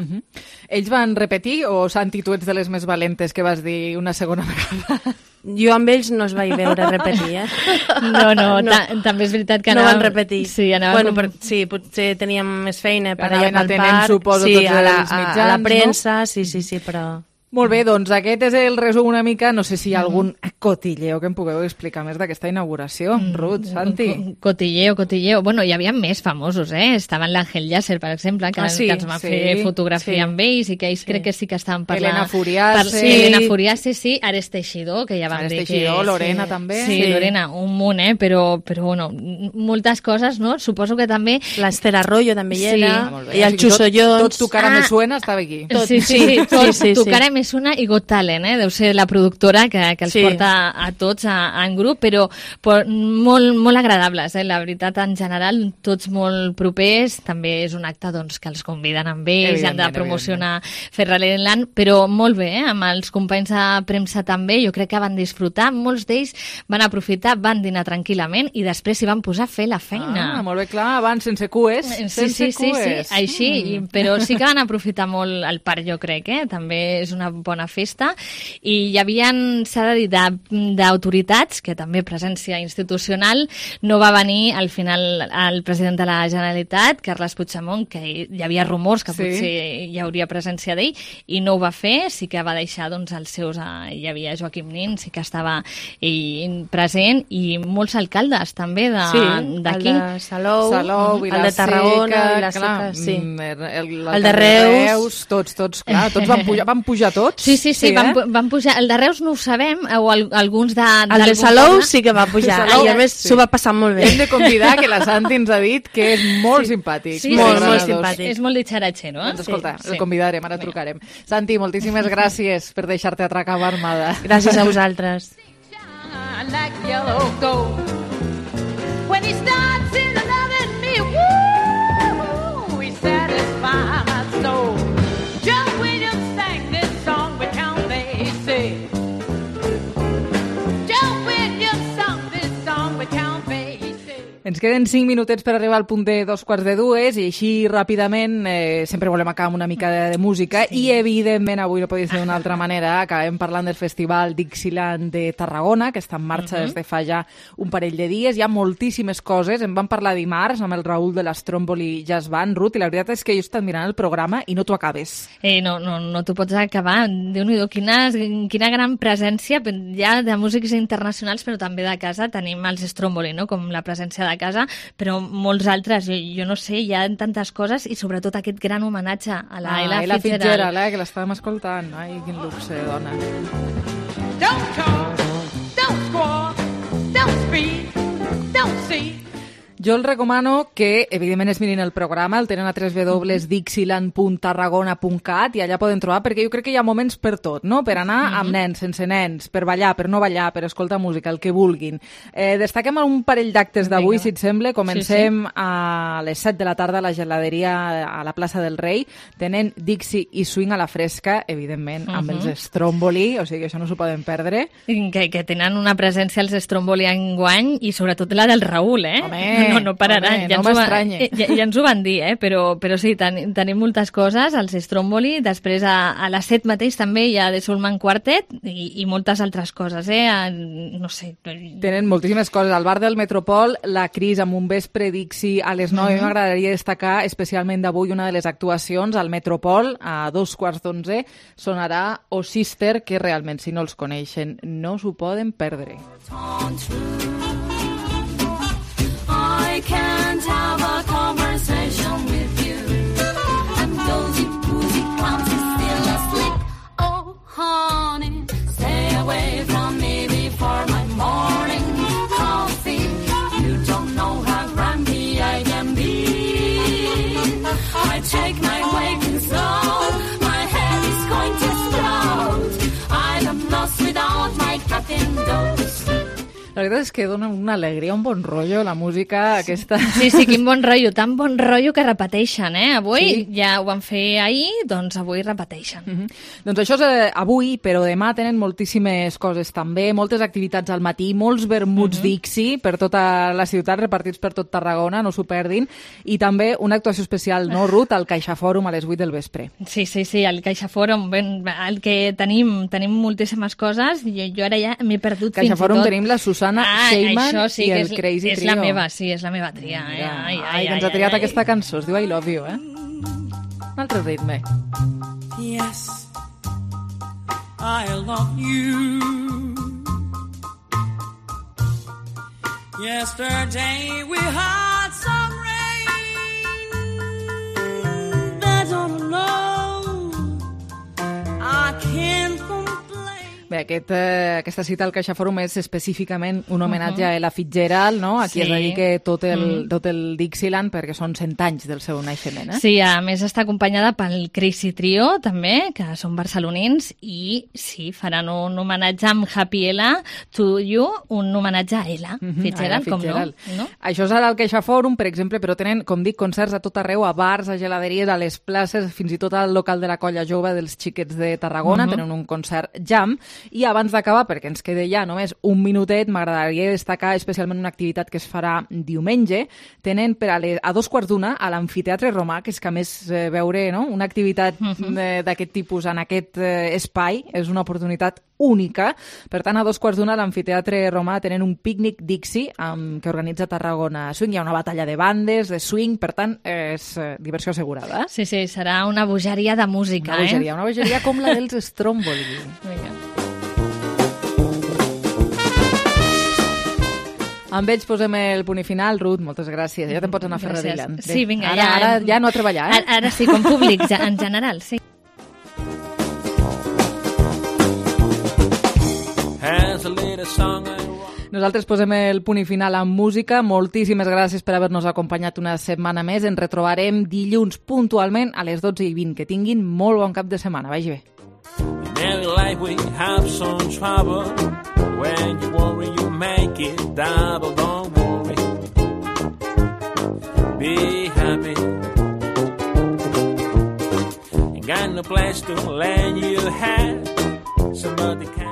Ells van repetir o, Santi, tu ets de les més valentes que vas dir una segona vegada? Jo amb ells no els vaig veure repetir, No. També és veritat que no van repetir. Sí, sí, potser teníem més feina per allà pel parc, suposo, sí, tots els mitjans, a la premsa, no? Sí, però... Molt bé, doncs aquest és el resum una mica, no sé si hi ha algun cotilleo que em pugueu explicar més d'aquesta inauguració. Ruth, Santi. Cotilleo. Bueno, hi havia més famosos, Estaven l'Àngel Llàcer, per exemple, que ens va fer fotografia amb ells i que ells crec que sí que estaven parlant... Elena Furiase, sí. Ares Teixidor, que ja vam dir que... Teixidor, Lorena també. Sí, Lorena, un munt, però bueno, moltes coses, no? Suposo que també... L'Ester Arroyo també hi era, i el Xuso Jones... Tot tu cara me suena estava aquí. Sí. Tu cara me suena i Got Talent, deu ser la productora que els porta a tots en grup, però molt agradables, la veritat, en general, tots molt propers, també és un acte doncs, que els conviden amb ells, han de promocionar Ferrariland, però molt bé, amb els companys de premsa també, jo crec que van disfrutar, molts d'ells van aprofitar, van dinar tranquil·lament i després s'hi van posar a fer la feina. Molt bé, clar, abans sense cues. Sí, així, però sí que van aprofitar molt el parc, jo crec, també és una bona festa, i hi havia, s'ha de dir, d'autoritats, que també presència institucional, no va venir al final el president de la Generalitat, Carles Puigdemont, que hi havia rumors que potser hi hauria presència d'ell, i no ho va fer, sí que va deixar doncs, els seus, hi havia Joaquim Nin, sí que estava present, i molts alcaldes també d'aquí. El de Salou, el de Tarragona, Vilaseca, el de Reus, tots, clar, tots van pujar tots. Sí, van pujar. El de Reus no ho sabem, o alguns de... El de Salou sí que va pujar, i a més s'ho va passar molt bé. Hem de convidar, que la Santi ens ha dit que és molt simpàtic. Sí, molt simpàtic. És molt ditxaratxer, no? Doncs escolta, el convidarem, ara trucarem. Santi, moltíssimes gràcies per deixar-te atracar a Armada. Gràcies a vosaltres. When he starts in loving me, woo, he satisfies my soul. John Williams sang this song with Count Basie. John Williams sang this song with Count Basie. Ens queden 5 minutets per arribar al punt de 2:45 i així ràpidament sempre volem acabar amb una mica de música i evidentment avui no podria ser d'una altra manera. Acabem parlant del Festival Dixieland de Tarragona, que està en marxa des de fa ja un parell de dies. Hi ha moltíssimes coses. En vam parlar dimarts amb el Raül de l'Stromboli Jazz Band, Ruth, i la veritat és que jo he estat mirant el programa i no t'ho acabes. No t'ho pots acabar. Déu-n'hi-do, quina gran presència ja de músics internacionals, però també de casa. Tenim els Stromboli, no?, com la presència de casa, però molts altres, jo no sé, hi ha tantes coses i sobretot aquest gran homenatge a la Ella Fitzgerald, que l'estàvem escoltant. Ai, quin luxe, dona. Don't talk, don't squawk, don't speak, don't see. Jo els recomano que, evidentment, es mirin el programa, el tenen a www.dixieland.tarragona.cat i allà poden trobar, perquè jo crec que hi ha moments per tot, no? Per anar amb nens, sense nens, per ballar, per no ballar, per escoltar música, el que vulguin. Destaquem un parell d'actes d'avui, si et sembla. Comencem a les 7 de la tarda a la geladeria a la plaça del Rei. Tenen Dixie i swing a la fresca, evidentment, amb els Stromboli, o sigui que això no s'ho poden perdre. Que tenen una presència els Stromboli enguany i sobretot la del Raül, No pararan. Home, no m'estranya. Ja ens ho van dir, però sí, tenim moltes coses, els Stromboli, després a les 7 mateix també hi ha The Soulman Quartet i moltes altres coses, no sé. Tenen moltíssimes coses. Al bar del Metropol, la Cris amb un vespre Dixie a les 9. M'agradaria destacar especialment d'avui una de les actuacions al Metropol, a 2:15, sonarà O Sister, que realment, si no els coneixen, no s'ho poden perdre. I can't have a conversation with you. And those boozy clowns is still asleep. Oh, honey, stay away from me before my morning coffee. You don't know how grumpy I can be. I take my waking soul. My head is going to explode. I'm lost without my captain dose. La veritat és que dona una alegria, un bon rotllo, la música aquesta. Sí, quin bon rotllo, tan bon rotllo que repeteixen, Avui ja ho van fer ahir, doncs avui repeteixen. Doncs això és avui, però demà tenen moltíssimes coses també, moltes activitats al matí, molts vermuts Dixie per tota la ciutat, repartits per tot Tarragona, no s'ho perdin, i també una actuació especial, no, Ruth, al CaixaFòrum a les 8 del vespre. Sí, al CaixaFòrum, el que tenim moltíssimes coses, jo ara ja m'he perdut fins i tot. CaixaFòrum tenim la Susana Sheyman i el Crazy Trio. És la meva, és la meva tria. Ai, que ens ha triat aquesta cançó, es diu I Love You, Un altre ritme. Yes, I love you. Yesterday we had some rain. That's all alone. I can't complain. Bé, aquesta cita al CaixaFòrum és específicament un homenatge a Ella Fitzgerald, no? Aquí es dedica tot el Dixieland perquè són 100 anys del seu naixement, Sí, a més està acompanyada pel Crazy Trio, també, que són barcelonins, i sí, faran un homenatge amb Happy Ella to You, un homenatge a Ella Fitzgerald, com no? Això serà al CaixaFòrum, per exemple, però tenen, com dic, concerts a tot arreu, a bars, a geladeries, a les places, fins i tot al local de la Colla Jove dels Xiquets de Tarragona, tenen un concert jam. I abans d'acabar, perquè ens queda ja només un minutet, m'agradaria destacar especialment una activitat que es farà diumenge. Tenen a 2:15 a l'Amfiteatre Romà, que és que a més veure una activitat d'aquest tipus en aquest espai és una oportunitat única. Per tant, a 2:15 a l'Amfiteatre Romà tenen un pícnic Dixie que organitza Tarragona Swing. Hi ha una batalla de bandes, de swing, per tant, és diversió assegurada. Sí, serà una bogeria de música. Una bogeria com la dels Stromboli. Vinga. Amb ells posem el punt i final. Ruth, moltes gràcies. Ja te'n pots anar a fer Radiland. Sí, vinga. Ara ja no a treballar, Ara sí, com públic, en general, sí. Nosaltres posem el punt i final amb música. Moltíssimes gràcies per haver-nos acompanyat una setmana més. Ens retrobarem dilluns puntualment a les 12:20. Que tinguin molt bon cap de setmana. Vagi bé. In life we have some trouble. When you worry, you make it double. Don't worry. Be happy. Ain't got no place to lend you hand. Somebody can